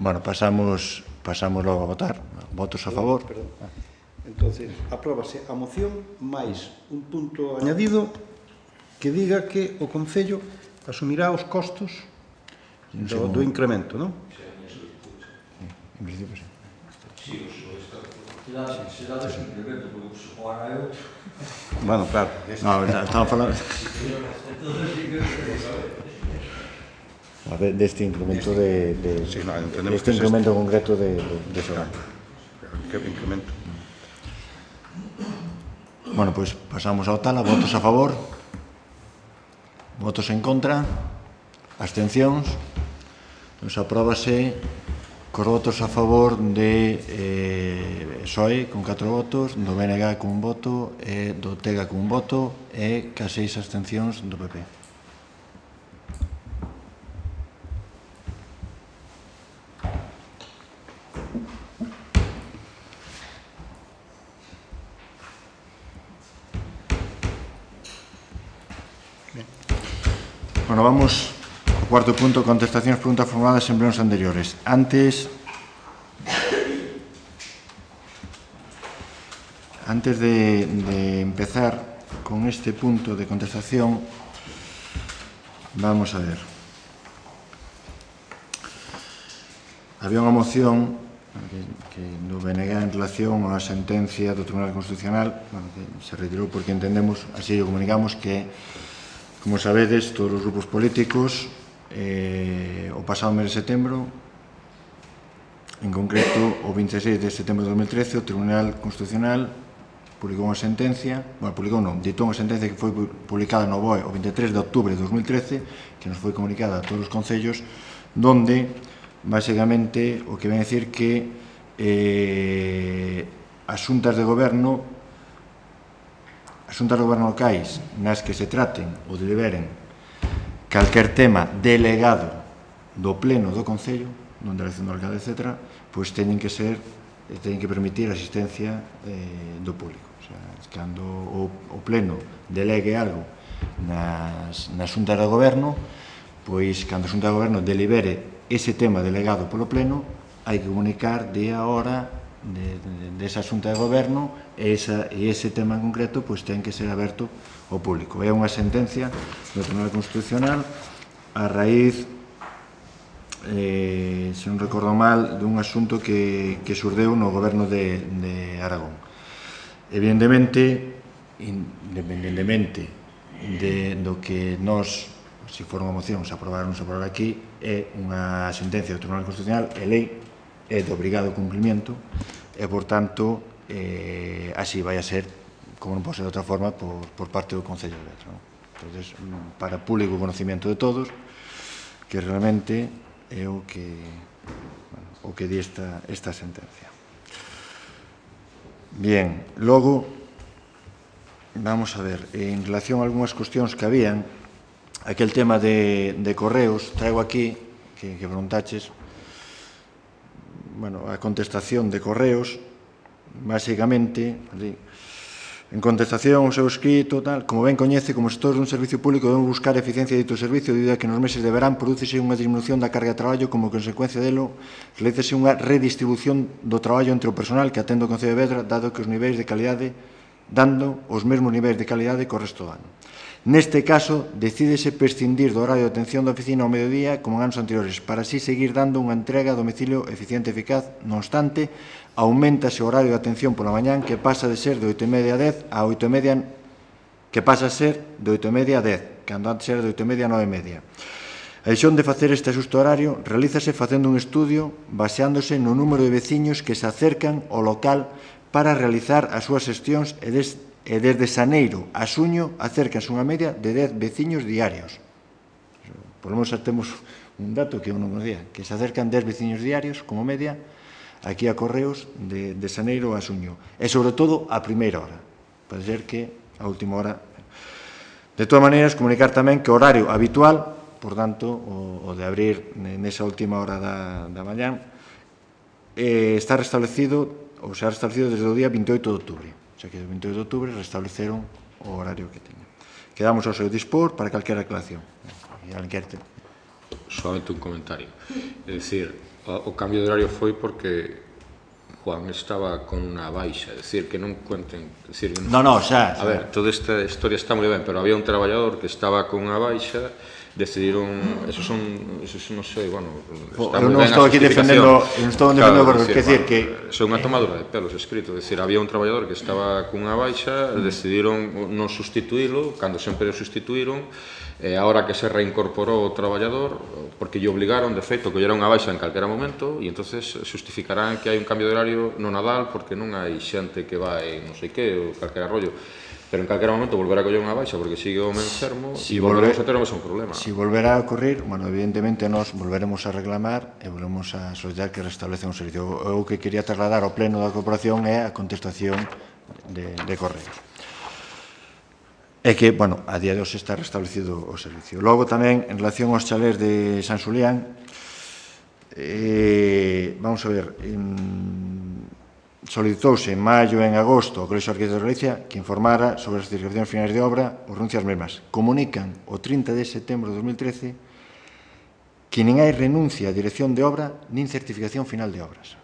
Bueno, pasamos, pasamos logo a votar. Votos a favor. Perdón. Entonces, apróbase a moción máis un punto añadido que diga que o Concello asumirá os costos do, do incremento, non? En principio, sí. Sí, será dese incremento, porque agora eu... Bueno, claro. No, estamos falando... A ver, deste incremento de... de Sí, no, entendemos este que es incremento concreto de, de, de Sogama. Que incremento. Bueno, pois pues pasamos ao tal, a votos a favor, votos en contra, abstencións. Nos apróbase cos votos a favor de eh, P S O E con catro votos, do B N G con un voto, e do Tega con un voto, e ca seis abstencións do P P. Bueno, vamos ao cuarto punto, contestacións, preguntas formuladas en plenos anteriores. Antes, antes de, de empezar con este punto de contestación, vamos a ver. Había unha moción que, que do B N G en relación á sentencia do Tribunal Constitucional, bueno, que se retirou porque entendemos, así o comunicamos, que como sabedes, todos os grupos políticos, eh, o pasado mes de setembro, en concreto, o veintiséis de setembro de dos mil trece, o Tribunal Constitucional publicou unha sentencia, bueno, publicou non, ditou unha sentencia que foi publicada no B O E o veintitrés de outubro de dos mil trece, que nos foi comunicada a todos os concellos, donde, basicamente, o que ven a decir que eh, as xuntas de goberno as xuntas de goberno locais nas que se traten ou deliberen calquer tema delegado do pleno do Concello, donde a elección do alcalde, etcétera, pois teñen que ser, teñen que permitir a asistencia eh, do público. O sea, cando o, o pleno delegue algo nas, nas xuntas de goberno, pois cando a xunta de goberno delibere ese tema delegado polo pleno, hai que comunicar día, hora, de, de, de esa xunta de goberno e, esa, e ese tema en concreto pois ten que ser aberto ao público. É unha sentencia do Tribunal Constitucional a raíz, eh, se non recordo mal, dun asunto que, que surdeu no goberno de, de Aragón. Evidentemente, independentemente de, do que nós, se for unha moción, se aprobar ou non se aprobar aquí, é unha sentencia do Tribunal Constitucional, é lei, é de obrigado cumprimento, e, por tanto, eh, así vai a ser, como non pode ser de outra forma, por, por parte do Concello de Vedra. ¿no? Entonces, para público conocimiento de todos, que realmente é o que, bueno, o que di esta, esta sentencia. Bien, logo, vamos a ver, en relación a algunhas cuestións que habían, aquel tema de, de correos, traigo aquí, que, que preguntaches, bueno, a contestación de correos, basicamente, en contestación ao seu escrito, tal, como ben coñece, como xestores dun servicio público debemos buscar a eficiencia dito servicio debido a que nos meses de verán prodúcese unha disminución da carga de traballo como consecuencia delo realícese unha redistribución do traballo entre o personal que atende o Concello de Vedra dado que os niveis de calidade dando os mesmos niveis de calidade co resto do ano. Neste caso, decídese prescindir do horario de atención da oficina ao mediodía como en anos anteriores, para así seguir dando unha entrega a domicilio eficiente e eficaz. Non obstante, aumentase o horario de atención pola mañán que pasa de ser de oito e media a dez a oito e media, que pasa a ser de oito e media a dez, cando antes era de oito e media a nove e media. A decisión de facer este ajuste horario realízase facendo un estudio baseándose no número de veciños que se acercan ao local para realizar as súas xestións e des e desde xaneiro a xuño acércanse unha media de dez veciños diarios. Por lo menos temos un dato que eu non conocía, que se acercan dez veciños diarios, como media, aquí a Correos de, de xaneiro a xuño. E, sobre todo, a primeira hora. Pode ser que a última hora... De todas maneiras, comunicar tamén que o horario habitual, por tanto, o, o de abrir nesa última hora da, da mañán, eh, está restablecido, ou se ha restablecido desde o día veintioito de outubro. O sea que o veintioito de outubro restableceron o horario que teña. Quedamos ao seu dispor para calquera aclaración. Solamente un comentario. É dicir, o cambio de horario foi porque Juan estaba con unha baixa, é dicir, que non cuenten... Decir, no, no, xa... A ver, toda esta historia está moi ben, pero había un traballador que estaba con unha baixa, decidiron, eso son, eso non sei, bueno, está eu moi non ben estou aquí defendendo, eu non estou defendendo, claro, porque, decir, que... É unha tomadura de pelos escrito, é dicir, había un traballador que estaba cunha baixa, decidiron non sustituílo, cando sempre o sustituíron, e agora que se reincorporou o traballador, porque lle obligaron, de feito, que lle era unha baixa en calquera momento, e entonces justificarán que hai un cambio de horario no Nadal, porque non hai xente que vai non sei que, ou calquera rollo, pero en calquera momento volverá a coller unha baixa porque sigue o enfermo si e volveremos a ter o mesmo problema. Si volverá a ocurrir, bueno, evidentemente nós volveremos a reclamar e volveremos a solicitar que restablecen o servicio. O que quería trasladar ao pleno da corporación é a contestación de, de correos. É que, bueno, a día de hoxe está restablecido o servicio. Logo tamén, en relación aos chalés de San Xulián, eh, vamos a ver, en, solicitouse en maio e en agosto ao Colexio de Arquitectos de Galicia que informara sobre as certificacións finais de obra ou renuncias mesmas. Comunican o trinta de setembro de dos mil trece que nin hai renuncia a dirección de obra nin certificación final de obras.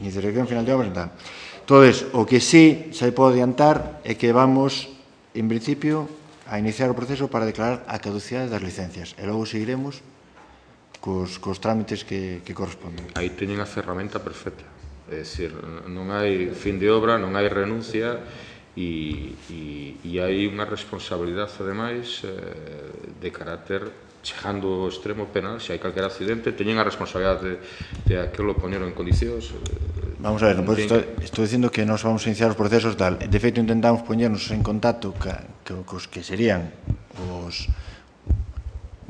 Nin certificación final de obras, nada. Entón, o que sí se pode adiantar é que vamos, en principio, a iniciar o proceso para declarar a caducidade das licencias e logo seguiremos cos, cos trámites que, que corresponden. Aí teñen a ferramenta perfecta. É dicir, non hai fin de obra, non hai renuncia e, e, e hai unha responsabilidade, ademais, eh, de carácter chegando ao extremo penal, se hai calquer accidente, teñen a responsabilidade de, de aquilo poñero en condicións. Eh, vamos a ver, non, pues estou, estou dicindo que nos vamos a iniciar os procesos tal. De feito, intentamos poñernos en contacto ca, ca, cos que serían os...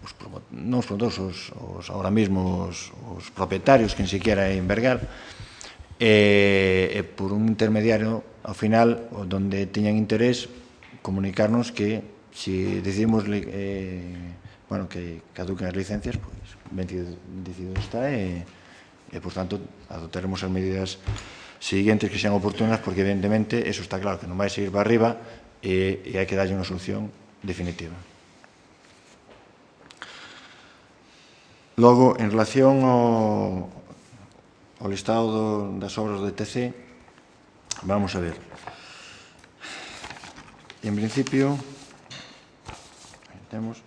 os non os promotores, os, os, ahora mismo os, os propietarios, que ni siquiera é en Bergal, e, e por un intermediario, ao final, donde teñan interés, comunicarnos que si decidimos eh, bueno, que caduquen as licencias, pois, ben decidido está e, e, por tanto, adoptaremos as medidas seguintes que sean oportunas, porque, evidentemente, eso está claro, que non vai seguir para arriba e, e hai que darlle unha solución definitiva. Logo, en relación ao o listado do, das obras do E T C, vamos a ver. En principio, temos...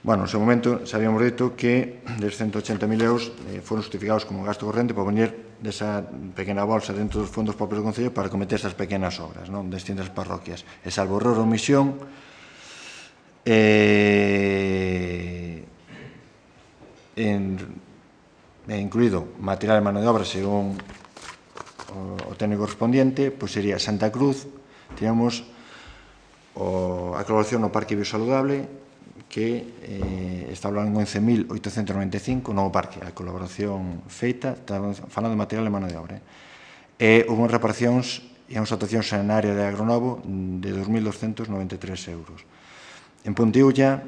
Bueno, no seu momento, xa habíamos dito que des ciento ochenta mil euros eh, foron justificados como gasto corrente para poñer desa pequena bolsa dentro dos fondos propios do Concello para cometer esas pequenas obras, non? De distintas parroquias. E salvo error ou omisión, eh, en, eh, incluído material de mano de obra según o, o técnico correspondiente, pois sería Santa Cruz, teníamos o, a colaboración no Parque Biosaludable, que eh, está hablando en once mil oitocentos noventa e cinco, novo parque, a colaboración feita, falando de material de mano de obra. E houve reparacións e unhas actuacións na área de Agronovo de dos mil doscientos noventa e tres euros. En Pontiulla,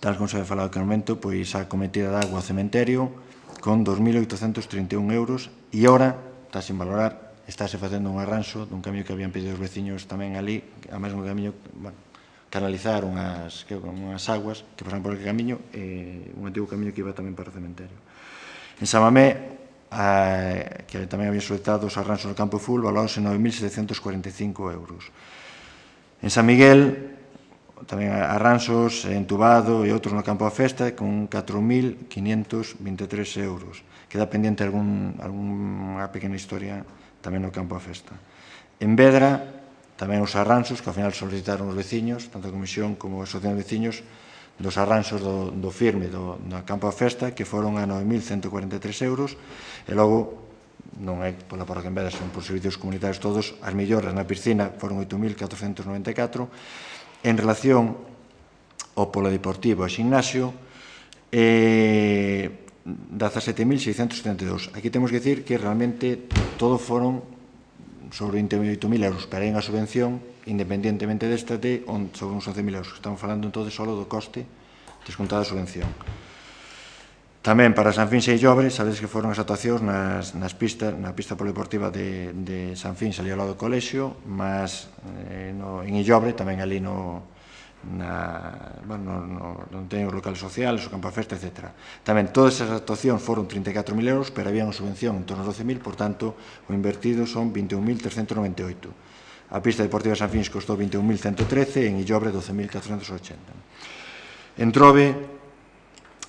tal como se ha falado aquel momento, pois a cometida de agua ao cementerio con dos mil oitocentos trinta e un euros e ora, está sin valorar, estáse facendo un arranxo dun camiño que habían pedido os veciños tamén ali, a mesmo camiño, bueno, canalizar unhas, que, unhas aguas que pasan por aquele camiño, eh, un antigo camiño que iba tamén para o cementerio. En Samamé, a, que tamén había solicitado os arranxos no campo full, valorados en nove mil setecentos cuarenta e cinco euros. En San Miguel, tamén arranxos entubado e outros no campo da festa con catro mil quinientos vinte e tres euros. Queda pendiente algún, algunha pequena historia tamén no campo da festa. En Vedra, tamén os arranxos que ao final solicitaron os veciños, tanto a Comisión como a Asociación de Veciños, dos arranxos do, do firme do, do campo da festa, que foron a nove mil cento cuarenta e tres euros, e logo, non é pola parroquia en Vedra, son por servicios comunitarios todos, as melloras na piscina foron oito mil catrocentos noventa e catro. En relación ao polideportivo e ximnasio, eh, dezasete mil seiscentos setenta e dous. Aquí temos que dicir que realmente todo foron sobre vinte e oito mil euros, pero hai unha subvención, independientemente desta, de sobre uns once mil euros. Estamos falando entón só do coste descontada a subvención. Tamén para San Fins e Illobre, sabedes que foron as actuacións nas, nas pistas, na pista polideportiva de, de San Fins, ali ao lado do colexio, mas eh, no, en Illobre, tamén ali no, na, bueno, no, no, non teñen os locales sociales, o campo a festa, etcétera. Tamén todas esas actuacións foron trinta e catro mil euros, pero había unha subvención en torno aos doce mil, por tanto, o invertido son vinte e un mil trescentos noventa e oito. A pista deportiva de San Fins costou vinte e un mil ciento trece e en Illobre doce mil catrocentos ochenta. En Trove,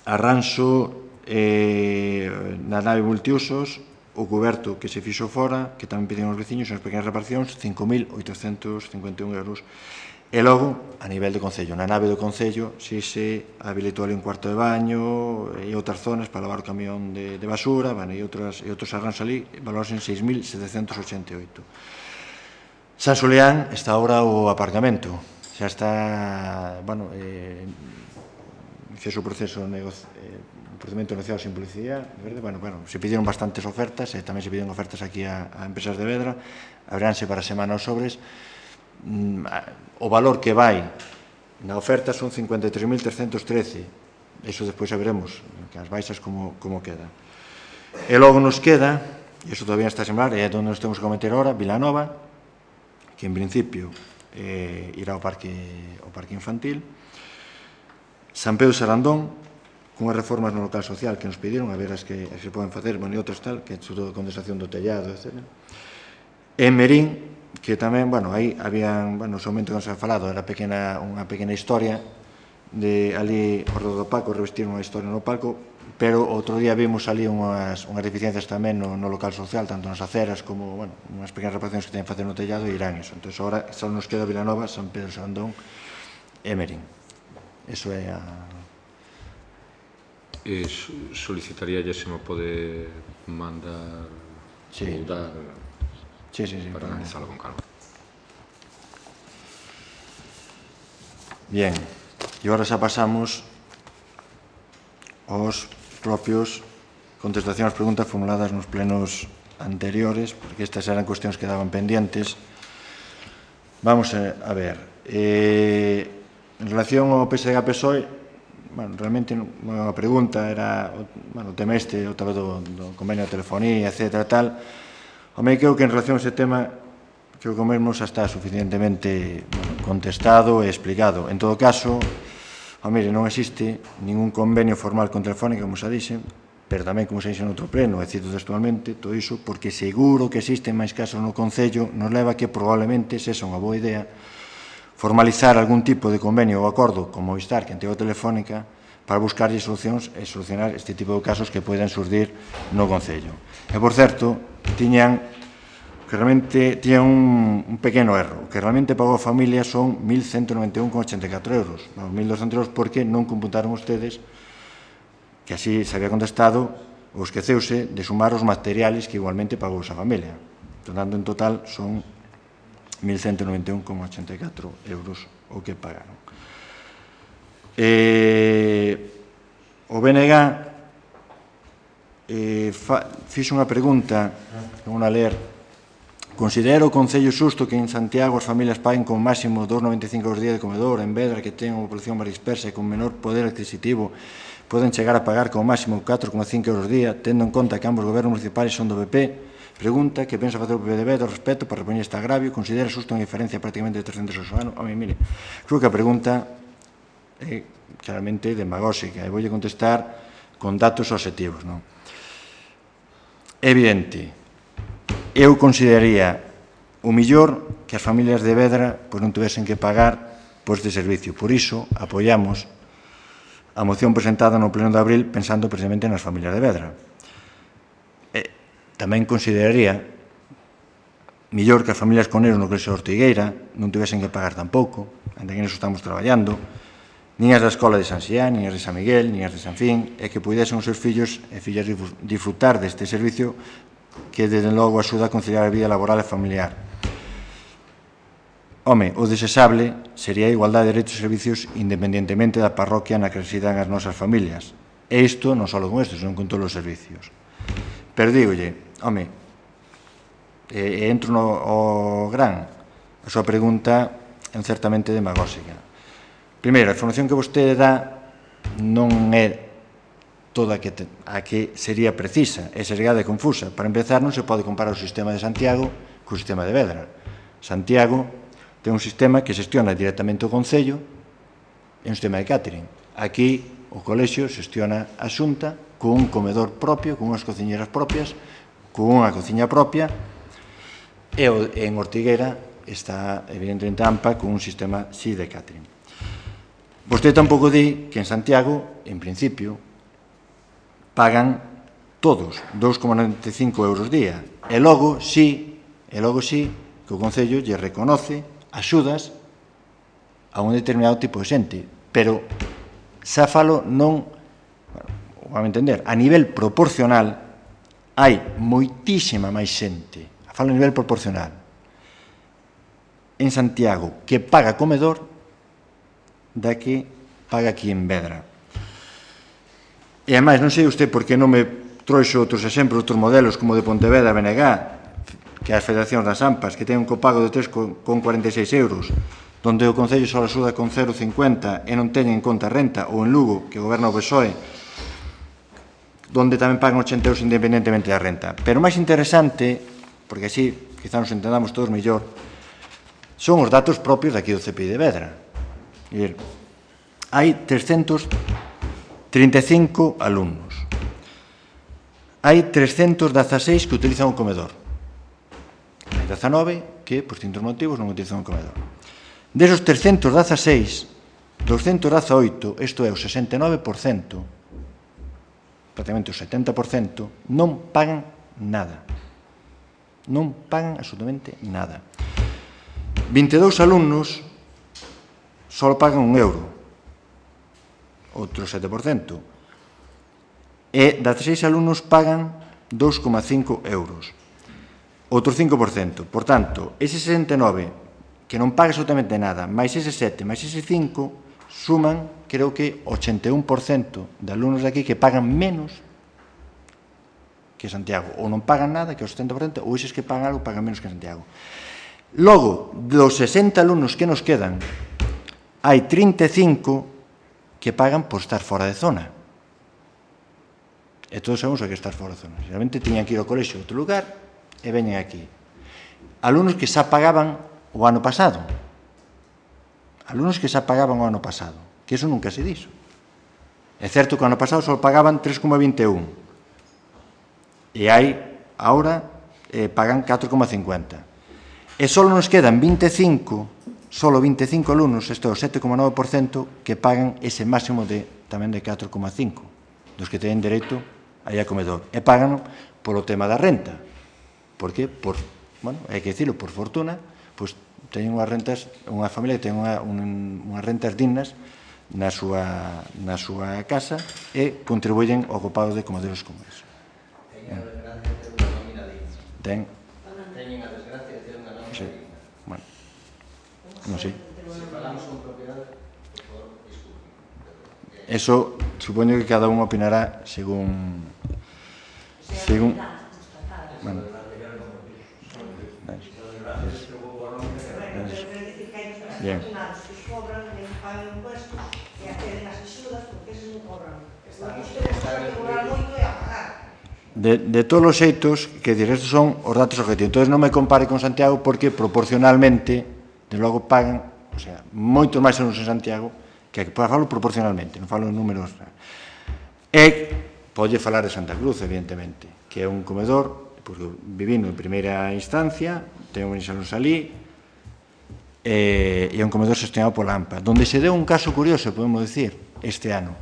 arranxo eh, na nave multiusos, o cuberto que se fixo fora, que tamén pediron os veciños, as pequenas reparacións, cinco mil oitocentos cincuenta e un euros. E logo, a nivel do Concello, na nave do Concello, si se habilitou ali un cuarto de baño e outras zonas para lavar o camión de, de basura, bueno, e, outras, e outros arranxos ali, valores en seis mil setecentos ochenta e oito. San Xulián está ahora o aparcamento, xa está, bueno, eh, fez o proceso negocio, eh, procedimento negociado sin publicidade, verde? Bueno, bueno, se pidieron bastantes ofertas, e tamén se pidieron ofertas aquí a, a empresas de Vedra, abranse para semana os sobres. O valor que vai na oferta son cincuenta e tres mil trescentos trece, iso despois xa veremos que as baixas como, como queda. E logo nos queda, e iso todavía está a sembrar, e é onde nos temos que cometer ahora, Vilanova, que en principio eh, irá ao parque, ao parque infantil, San Pedro Sarandón, cunhas reformas no local social que nos pidieron, a ver as que, as que se poden facer, bueno, e outras tal, que é sobre a condensación do tellado, etcétera. E Merín, que tamén, bueno, aí habían, bueno, no seu momento que nos ha falado, era pequena, unha pequena historia de ali o Rodo do Paco, revestir unha historia no palco, pero outro día vimos ali unhas, unhas deficiencias tamén no, no local social, tanto nas aceras como, bueno, unhas pequenas reparacións que teñen que facer no tellado e irán eso. Entón, agora só nos queda Vilanova, San Pedro Sarandón e Merín. Eso é a... E solicitaría se me pode mandar sí. ou dar sí, sí, sí, para analizarlo con calma. Bien, e agora xa pasamos aos propios contestacións ás preguntas formuladas nos plenos anteriores, porque estas eran cuestións que daban pendientes. Vamos a ver. Eh, en relación ao P S D G P S O E, bueno, realmente non é unha pregunta, era bueno, o tema este, o tal do, do convenio de telefonía, etcétera, tal. Home, creo que en relación a ese tema, creo que o mesmo xa está suficientemente bueno, contestado e explicado. En todo caso, oh, mire, non existe ningún convenio formal con Telefónica, como xa dixen, pero tamén, como se dixe no outro pleno, e cito textualmente, todo iso, porque seguro que existen máis casos no Concello, nos leva que probablemente sexa unha boa idea formalizar algún tipo de convenio ou acordo con Movistar, que antigo Telefónica, para buscar solucións e solucionar este tipo de casos que poden surdir no Concello. E, por certo, tiñan que realmente tiñan un, un pequeno erro. O que realmente pagou a familia son mil ciento noventa e un coma ochenta e catro euros. Non, mil doscientos euros porque non computaron ustedes que así se había contestado ou esqueceuse de sumar os materiales que igualmente pagou esa familia. Tanto en total son mil ciento noventa e un coma ochenta e catro euros o que pagaron. Eh, o B N G eh, fa, fixo unha pregunta, vou a ler. Considera o Concello xusto que en Santiago as familias paguen con máximo dos coma noventa e cinco euros día de comedor, en Vedra, que ten unha población máis dispersa e con menor poder adquisitivo, poden chegar a pagar como máximo catro coma cinco euros día, tendo en conta que ambos gobernos municipais son do B P. Pregunta que pensa facer o P P de Vedra ao respecto para repoñer este agravio. Considera xusto unha diferencia prácticamente de trescentos euros ao ano? A mí, mire, creo que a pregunta é claramente demagóxica e voulle contestar con datos objetivos, non? É evidente, eu consideraría o millor que as familias de Vedra pois, non tivesen que pagar por este servicio. Por iso, apoiamos a moción presentada no pleno de abril pensando precisamente nas familias de Vedra. E tamén consideraría millor que as familias con eros no Colexio de Ortigueira non tivesen que pagar tampouco, ainda que neso estamos traballando, nin as da Escola de San Xián, nin as de San Miguel, nin as de San Fin, e que pudesen os seus fillos e fillas disfrutar deste servicio que, desde logo, axuda a conciliar a vida laboral e familiar. Home, o desexable sería a igualdade de dereitos e servicios independentemente da parroquia na que residan as nosas familias. E isto non só con isto, senón con todos os servicios. Pero dígolle, home, e entro no o gran, a súa pregunta é certamente demagóxica. Primeiro, a información que vostede dá non é toda a que, te, a que sería precisa, é sergada e confusa. Para empezar, non se pode comparar o sistema de Santiago co sistema de Vedra. Santiago ten un sistema que xestiona directamente o Concello e un sistema de catering. Aquí, o colexio xestiona a Xunta con un comedor propio, con unhas cociñeras propias, con unha cociña propia, e en Ortigueira está, evidentemente, AMPA con un sistema sí de catering. Vostede tampouco di que en Santiago, en principio, pagan todos dous coma noventa e cinco euros día. E logo, sí, e logo sí, que o Concello lle reconoce axudas a un determinado tipo de xente, pero xa falo non, bueno, vamos a entender, a nivel proporcional hai moitísima máis xente, falo a nivel proporcional, en Santiago que paga comedor da que paga aquí en Vedra. E ademais, non sei usted por que non me trouxo outros exemplos, outros modelos como de Pontevedra, B N G, que as federacións das AMPAs, que ten un copago de tres coma cuarenta e seis euros, donde o Concello só axuda con cero coma cincuenta e non teñen en conta a renta, ou en Lugo, que goberna o P S O E, donde tamén pagan ochenta euros independentemente da renta. Pero o máis interesante, porque así quizá nos entendamos todos mellor, son os datos propios daqui do C P I de Vedra. Hai trescentos trinta e cinco alumnos. Hai trescentos dezaseis que utilizan o comedor. Hai dezanove que, por distintos motivos, non utilizan o comedor. Desos trescentos dezaseis, doscientos dezaoito, isto é o sesenta e nove por cento, prácticamente o setenta por cento, non pagan nada. Non pagan absolutamente nada. vinte e dous alumnos só pagan un euro, outro sete por cento. E dezaseis alumnos pagan dous coma cinco euros. Outro cinco por cento. Por tanto, ese sesenta e nove que non paga absolutamente nada, máis ese sete, máis ese cinco, suman, creo que, ochenta e un por cento de alumnos de aquí que pagan menos que Santiago. Ou non pagan nada, que é o setenta por cento, ou eses que pagan algo pagan menos que Santiago. Logo, dos sesenta alumnos que nos quedan, hai trinta e cinco que pagan por estar fora de zona. E todos sabemos o que é estar fora de zona. Realmente tiñan que ir ao colexio a outro lugar e veñen aquí. Alumnos que xa pagaban o ano pasado. Alumnos que xa pagaban o ano pasado. Que eso nunca se dixo. É certo que o ano pasado só pagaban tres coma vinte e un. E hai, ahora, eh, pagan catro coma cincuenta. E só nos quedan vinte e cinco, só vinte e cinco alumnos, isto é o sete coma nove por cento, que pagan ese máximo de tamén de catro coma cinco, dos que teñen dereito aí a comedor. E pagan polo tema da renta. Por que? Por, bueno, hai que dicirlo, por fortuna, pois teñen unhas rentas, unha familia que ten unha, un, unhas rentas dignas na súa, na súa casa e contribuyen ao copago de comedores como eso. Teñen a desgracia de ter unha nómina digna. Ten. Teñen a desgracia de ter unha nómina Sí. digna. Bueno, non sei. Se falamos con propiedade, por favor, disculpen. Eso, supoño que cada un opinará según... según... Bueno. Bien. De, de todos os xeitos, que dir, estes son os datos objetivos. Entón, non me compare con Santiago porque proporcionalmente, de logo, pagan, o sea, moitos máis anos en Santiago, que falo proporcionalmente, non falo en números. E pode falar de Santa Cruz, evidentemente, que é un comedor, porque vivindo en primeira instancia, ten un salón salí, e é un comedor gestionado pola AMPA, donde se deu un caso curioso, podemos dicir, este ano,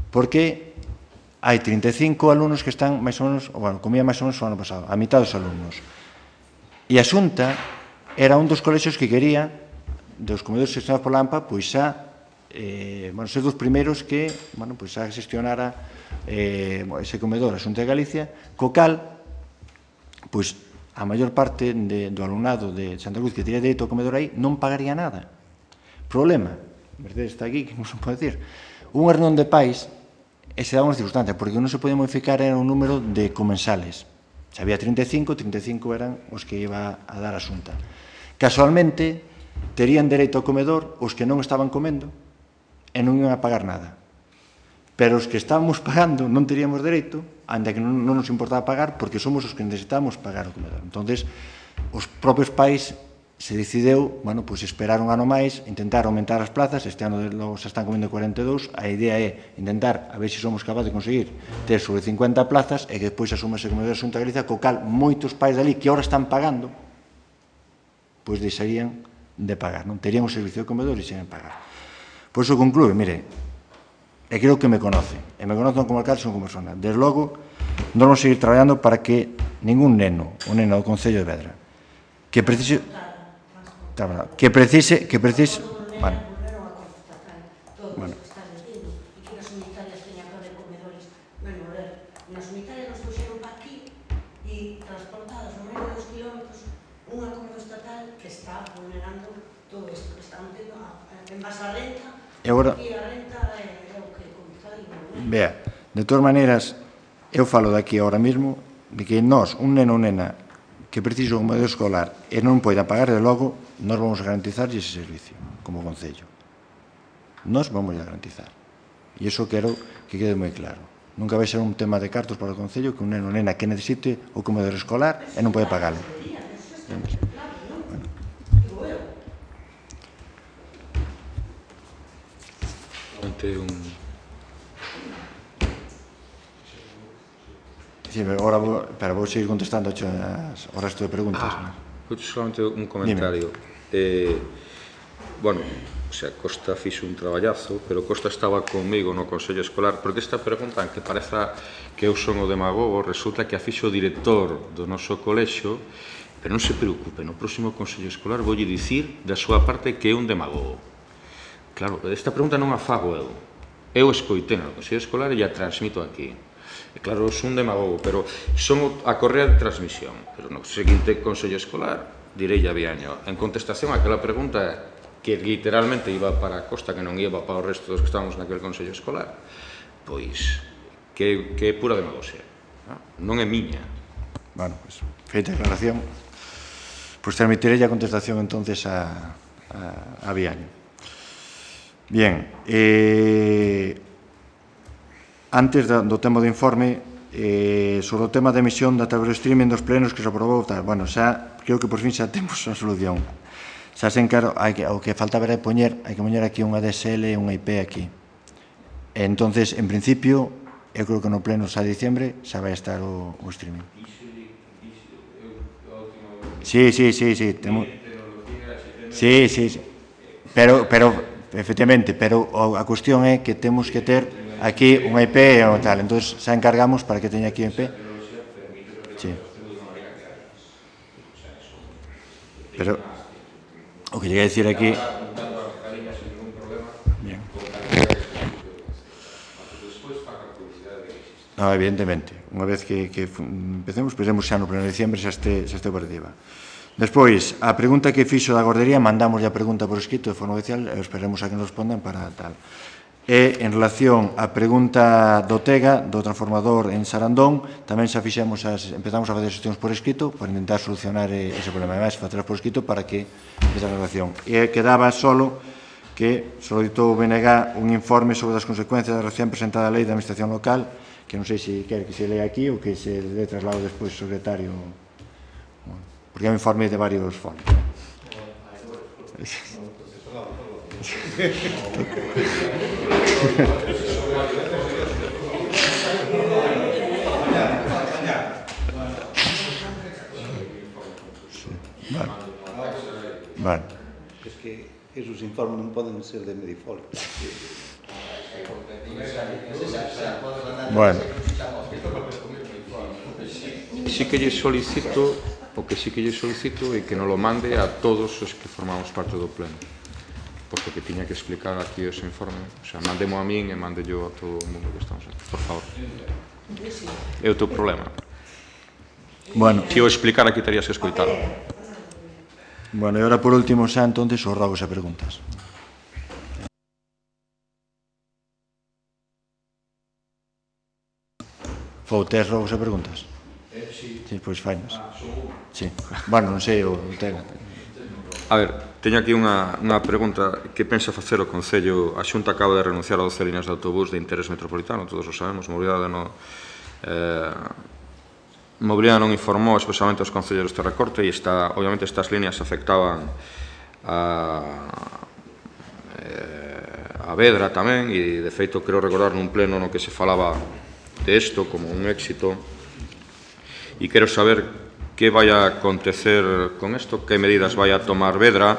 porque hai trinta e cinco alumnos que están máis ou menos, bueno, comía máis ou menos o ano pasado, a mitad dos alumnos. E a Xunta era un dos colexios que quería, dos comedores gestionados pola AMPA, pois xa, eh, bueno, ser dos primeiros que, bueno, pois xa gestionara eh, ese comedor a Xunta de Galicia, co cal, pois, a maior parte de, do alumnado de Santa Cruz que teria dereito ao comedor aí non pagaría nada. Problema, Mercedes está aquí, que non se pode decir, unha reunión de pais e se dá unha circunstancia, porque non se podía modificar era un número de comensales. Se había trinta e cinco, trinta e cinco eran os que iba a dar a Xunta. Casualmente, terían dereito ao comedor os que non estaban comendo e non iban a pagar nada. Pero os que estábamos pagando non teríamos dereito, ainda que non, non nos importaba pagar, porque somos os que necesitamos pagar o comedor. Entonces, os propios pais se decideu, bueno, pois esperar un ano máis, intentar aumentar as plazas, este ano logo se están comendo cuarenta e dous, a idea é intentar, a ver se somos capaces de conseguir ter sobre cincuenta plazas e que despois asumase o comedor da Xunta de Galicia, co cal moitos pais dali que ahora están pagando, pois deixarían de pagar, non terían o servicio de comedor e deixarían de pagar. Por iso conclúe, mire, e creo que me conoce, e me conocen como alcalde, son como persona. Desde logo, non vamos a seguir traballando para que ningún neno ou nena do Concello de Vedra que precise que precise que precise bueno, bueno. Nas unitarias nos puxeron pa aquí e transportados no medio dos kilómetros un acordo estatal que está vulnerando todo isto que está metendo en base a renta e a renta é o que comenzai. Vea, de todas maneiras, eu falo daqui ahora mesmo de que nós, un neno ou nena que precisa un comedor escolar e non poida pagar, de logo, nós vamos a garantizar ese servicio como Concello. Nós vamos a garantizar. E iso quero que quede moi claro. Nunca vai ser un tema de cartos para o Concello que un neno ou nena que necesite o comedor escolar e non pode pagarlo. Ante un... Sí, agora vou, pero vou seguir contestando ao resto de preguntas. Ah, solamente un comentario. Eh, bueno, o sea, Costa fixo un traballazo, pero Costa estaba conmigo no Consello Escolar, porque esta pregunta, aunque pareza que eu son o demagogo, resulta que a fixo o director do noso colexio, pero non se preocupe, no próximo Consello Escolar voulle dicir da súa parte que é un demagogo. Claro, esta pregunta non a fago eu. Eu escoitei no Consello Escolar e a transmito aquí. E claro, son un demagogo, pero son a correa de transmisión. Pero no seguinte Consello Escolar, direi a Viaño, en contestación a aquela pregunta que literalmente iba para a Costa, que non iba para o resto dos que estábamos naquele Consello Escolar, pois, que, que é pura demagogia. Non é miña. Bueno, pues, feita a aclaración, pues transmitirei a contestación entonces a, a, a Viaño. Bien, eh, antes do, do tema do informe, eh, sobre o tema da emisión da través do streaming dos plenos que se aprobou, tal, bueno, xa, creo que por fin xa temos a solución. Xa sen claro, hai que, o que faltaba era poñer, hai que poñer aquí unha D S L e unha I P aquí. E entonces, en principio, eu creo que no pleno xa de diciembre xa vai estar o, o streaming. Sí, sí, sí, sí, temos... Sí, sí, sí. Pero, pero, efectivamente, pero a cuestión é que temos que ter aquí un I P e tal, entón xa encargamos para que teña aquí un I P. Sí. Pero, o que lleguei a decir aquí... Bien. No, evidentemente, unha vez que, que empecemos, pensemos xa no pleno de diciembre xa este, xa este operativa. Despois, a pregunta que fixo da gordería, mandamos a pregunta por escrito de forma oficial, e esperemos a que nos respondan para tal. E, en relación á pregunta do Tega, do transformador en Sarandón, tamén xa fixemos as, empezamos a facer xestións por escrito para intentar solucionar ese problema, e máis facelas por escrito para que esa relación. E quedaba solo que solicitou o B N G un informe sobre as consecuencias da recién presentada lei da administración local, que non sei se quer que se lea aquí ou que se dé traslado despois ao secretario, porque é un informe de varios fondos. Vale. Vale. Es que esos informes non poden ser de Medifolio. Bueno. Sí que lle solicito, o que sí que lle solicito é que nos lo mande a todos os que formamos parte do pleno. Posto que tiña que explicar aquí ese informe. O sea, mandemo a min e mande yo a todo o mundo que estamos aquí. Por favor. É o teu problema. Bueno. Se o explicar aquí terías que escoitalo. Bueno, e agora por último xa, entonces, os rogos e preguntas. Fou, tes rogos e preguntas? Eh, sí. Sí, pois fainos. Sí. Bueno, non sei, o Tega. A ver, teño aquí unha, unha pregunta. Que pensa facer o Concello? A Xunta acaba de renunciar a doce líneas de autobús de interés metropolitano, todos o sabemos. Mobilidade non... Eh, Mobilidade non informou expresamente aos concelleiros de recorte e está, obviamente estas líneas afectaban a, a Vedra tamén e de feito creo recordar nun pleno no que se falaba de isto como un éxito e quero saber que vai a acontecer con isto, que medidas vai a tomar Vedra.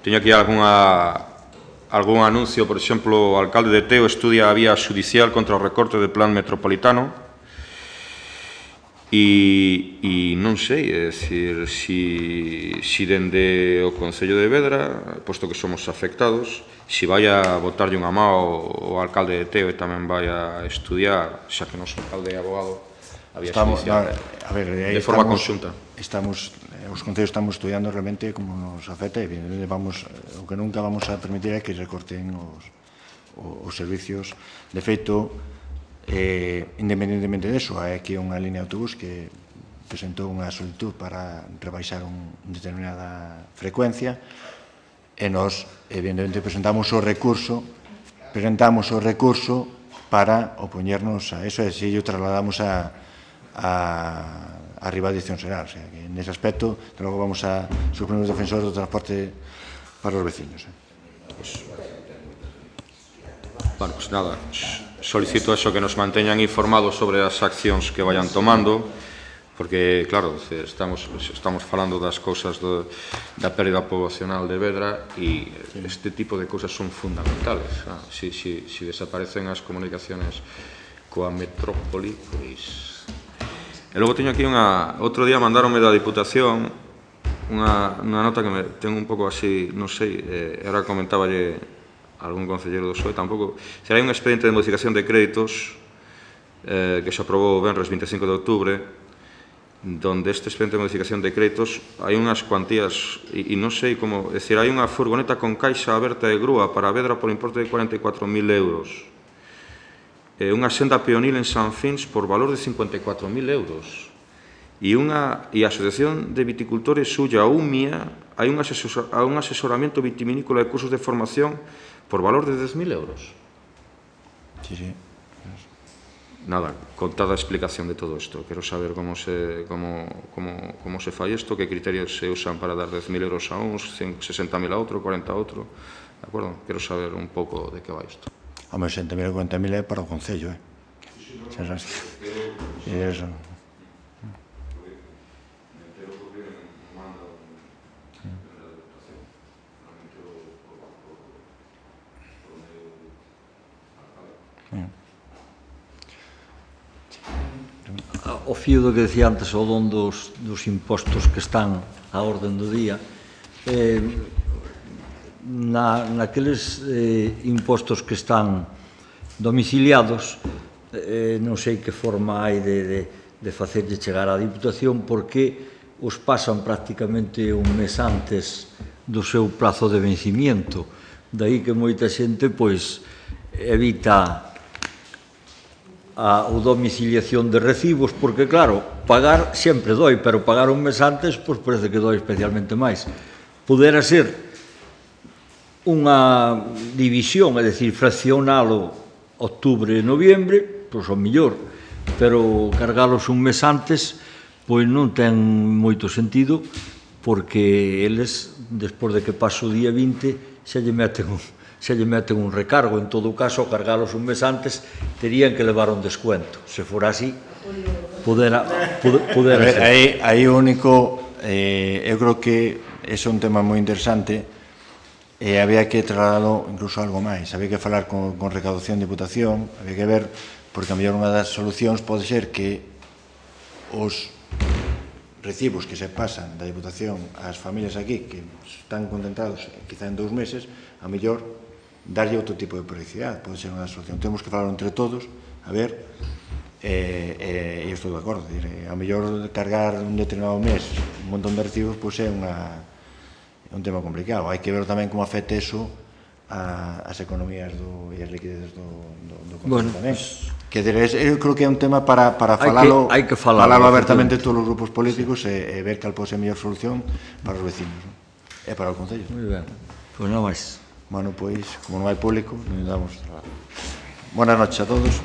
Teño aquí algunha, algún anuncio, por exemplo, o alcalde de Teo estudia a vía judicial contra o recorte de plan metropolitano. E, e non sei, é dicir, si, si dende o Concello de Vedra, posto que somos afectados, si vai a botarlle unha má o, o alcalde de Teo e tamén vai a estudiar, xa que non son alcalde e abogado, a vía judicial, a ver, de forma estamos, conxunta. Estamos, os concellos estamos estudiando realmente como nos afecta e vamos, o que nunca vamos a permitir é que recorten os, os servicios. De feito, Eh, independentemente deso, hai aquí unha línea de autobús que presentou unha solicitud para rebaixar un determinada frecuencia e nos, evidentemente, presentamos o recurso presentamos o recurso para opoñernos a eso e se yo trasladamos a a, a rival dirección xeral, o sea, que nese aspecto logo vamos a ser os primeiros defensores do transporte para os veciños. Eh. Pues, bueno, pues nada, solicito eso, que nos manteñan informados sobre as accións que vayan tomando, porque, claro, estamos, estamos falando das cousas do, da pérdida poblacional de Vedra e este tipo de cousas son fundamentales. Ah, si, si, si desaparecen as comunicaciones coa metrópoli, pois... E logo teño aquí unha... Outro día mandaronme da Diputación unha, unha nota que me ten un pouco así, non sei, eh, era comentáballe algún concelleiro do P S O E, tampouco... Será un expediente de modificación de créditos eh, que se aprobou o venres vinte e cinco de outubro, donde este expediente de modificación de créditos hai unhas cuantías, e, e non sei como... É dicir, hai unha furgoneta con caixa aberta de grúa para Vedra por importe de cuarenta e catro mil euros. Eh, unha senda peonil en San Fins por valor de cincuenta e catro mil euros. E, unha, e a Asociación de Viticultores Sulla Umia hai un, asesor, un asesoramento vitivinícola e cursos de formación por valor de dez mil euros. Sí, sí. Nada, contada a explicación de todo isto. Quero saber como se, como, como, como se fai isto, que criterios se usan para dar dez mil euros a uns, sesenta mil a outro, cuarenta a outro. De acordo? Quero saber un pouco de que vai isto. Home, sesenta mil e cuarenta mil é para o Concello, eh? Xa sabes que... E eso... O fío do que decía antes o don dos, dos impostos que están á orden do día, eh, na, naqueles eh, impostos que están domiciliados, eh, non sei que forma hai de, de, de facerlle chegar á Diputación, porque os pasan prácticamente un mes antes do seu prazo de vencimiento. Daí que moita xente pois evita a domiciliación de recibos, porque claro, pagar sempre doi, pero pagar un mes antes pois parece que doi especialmente máis. Pudera ser unha división, é dicir, fraccionalo outubro e noviembre, pois o mellor, pero cargalos un mes antes pois non ten moito sentido, porque eles, despois de que pasa o día vinte, xa lle meten un se lle meten un recargo. En todo caso, cargalos un mes antes, terían que levar un descuento. Se fora así, pudera, pudera ser. Aí, aí o único, eh, eu creo que ese é un tema moi interesante, e había que trasladalo incluso algo máis. Había que falar con, con recaudación de Diputación, había que ver, porque a mellor unha das solucións pode ser que os recibos que se pasan da Diputación ás familias aquí, que están contentados quizá en dous meses, a mellor darlle outro tipo de periodicidade, pode ser unha solución. Temos que falar entre todos, a ver, e eh, eh, estou de acordo, dire, a mellor cargar un determinado mes un montón de recibos, pois é unha, é un tema complicado. Hai que ver tamén como afecta eso a, as economías do, e as liquidez do, do, do Concello bueno, tamén. Pues, que dire, eu creo que é un tema para, para falalo, hai que, hai que falalo, falalo abertamente todos os grupos políticos e, e ver cal pode ser a mellor solución para os vecinos, non? E para o Concello. Moi ben, pois non máis. Bueno, pois, como non hai público, non damos traballo. Buenas noches a todos.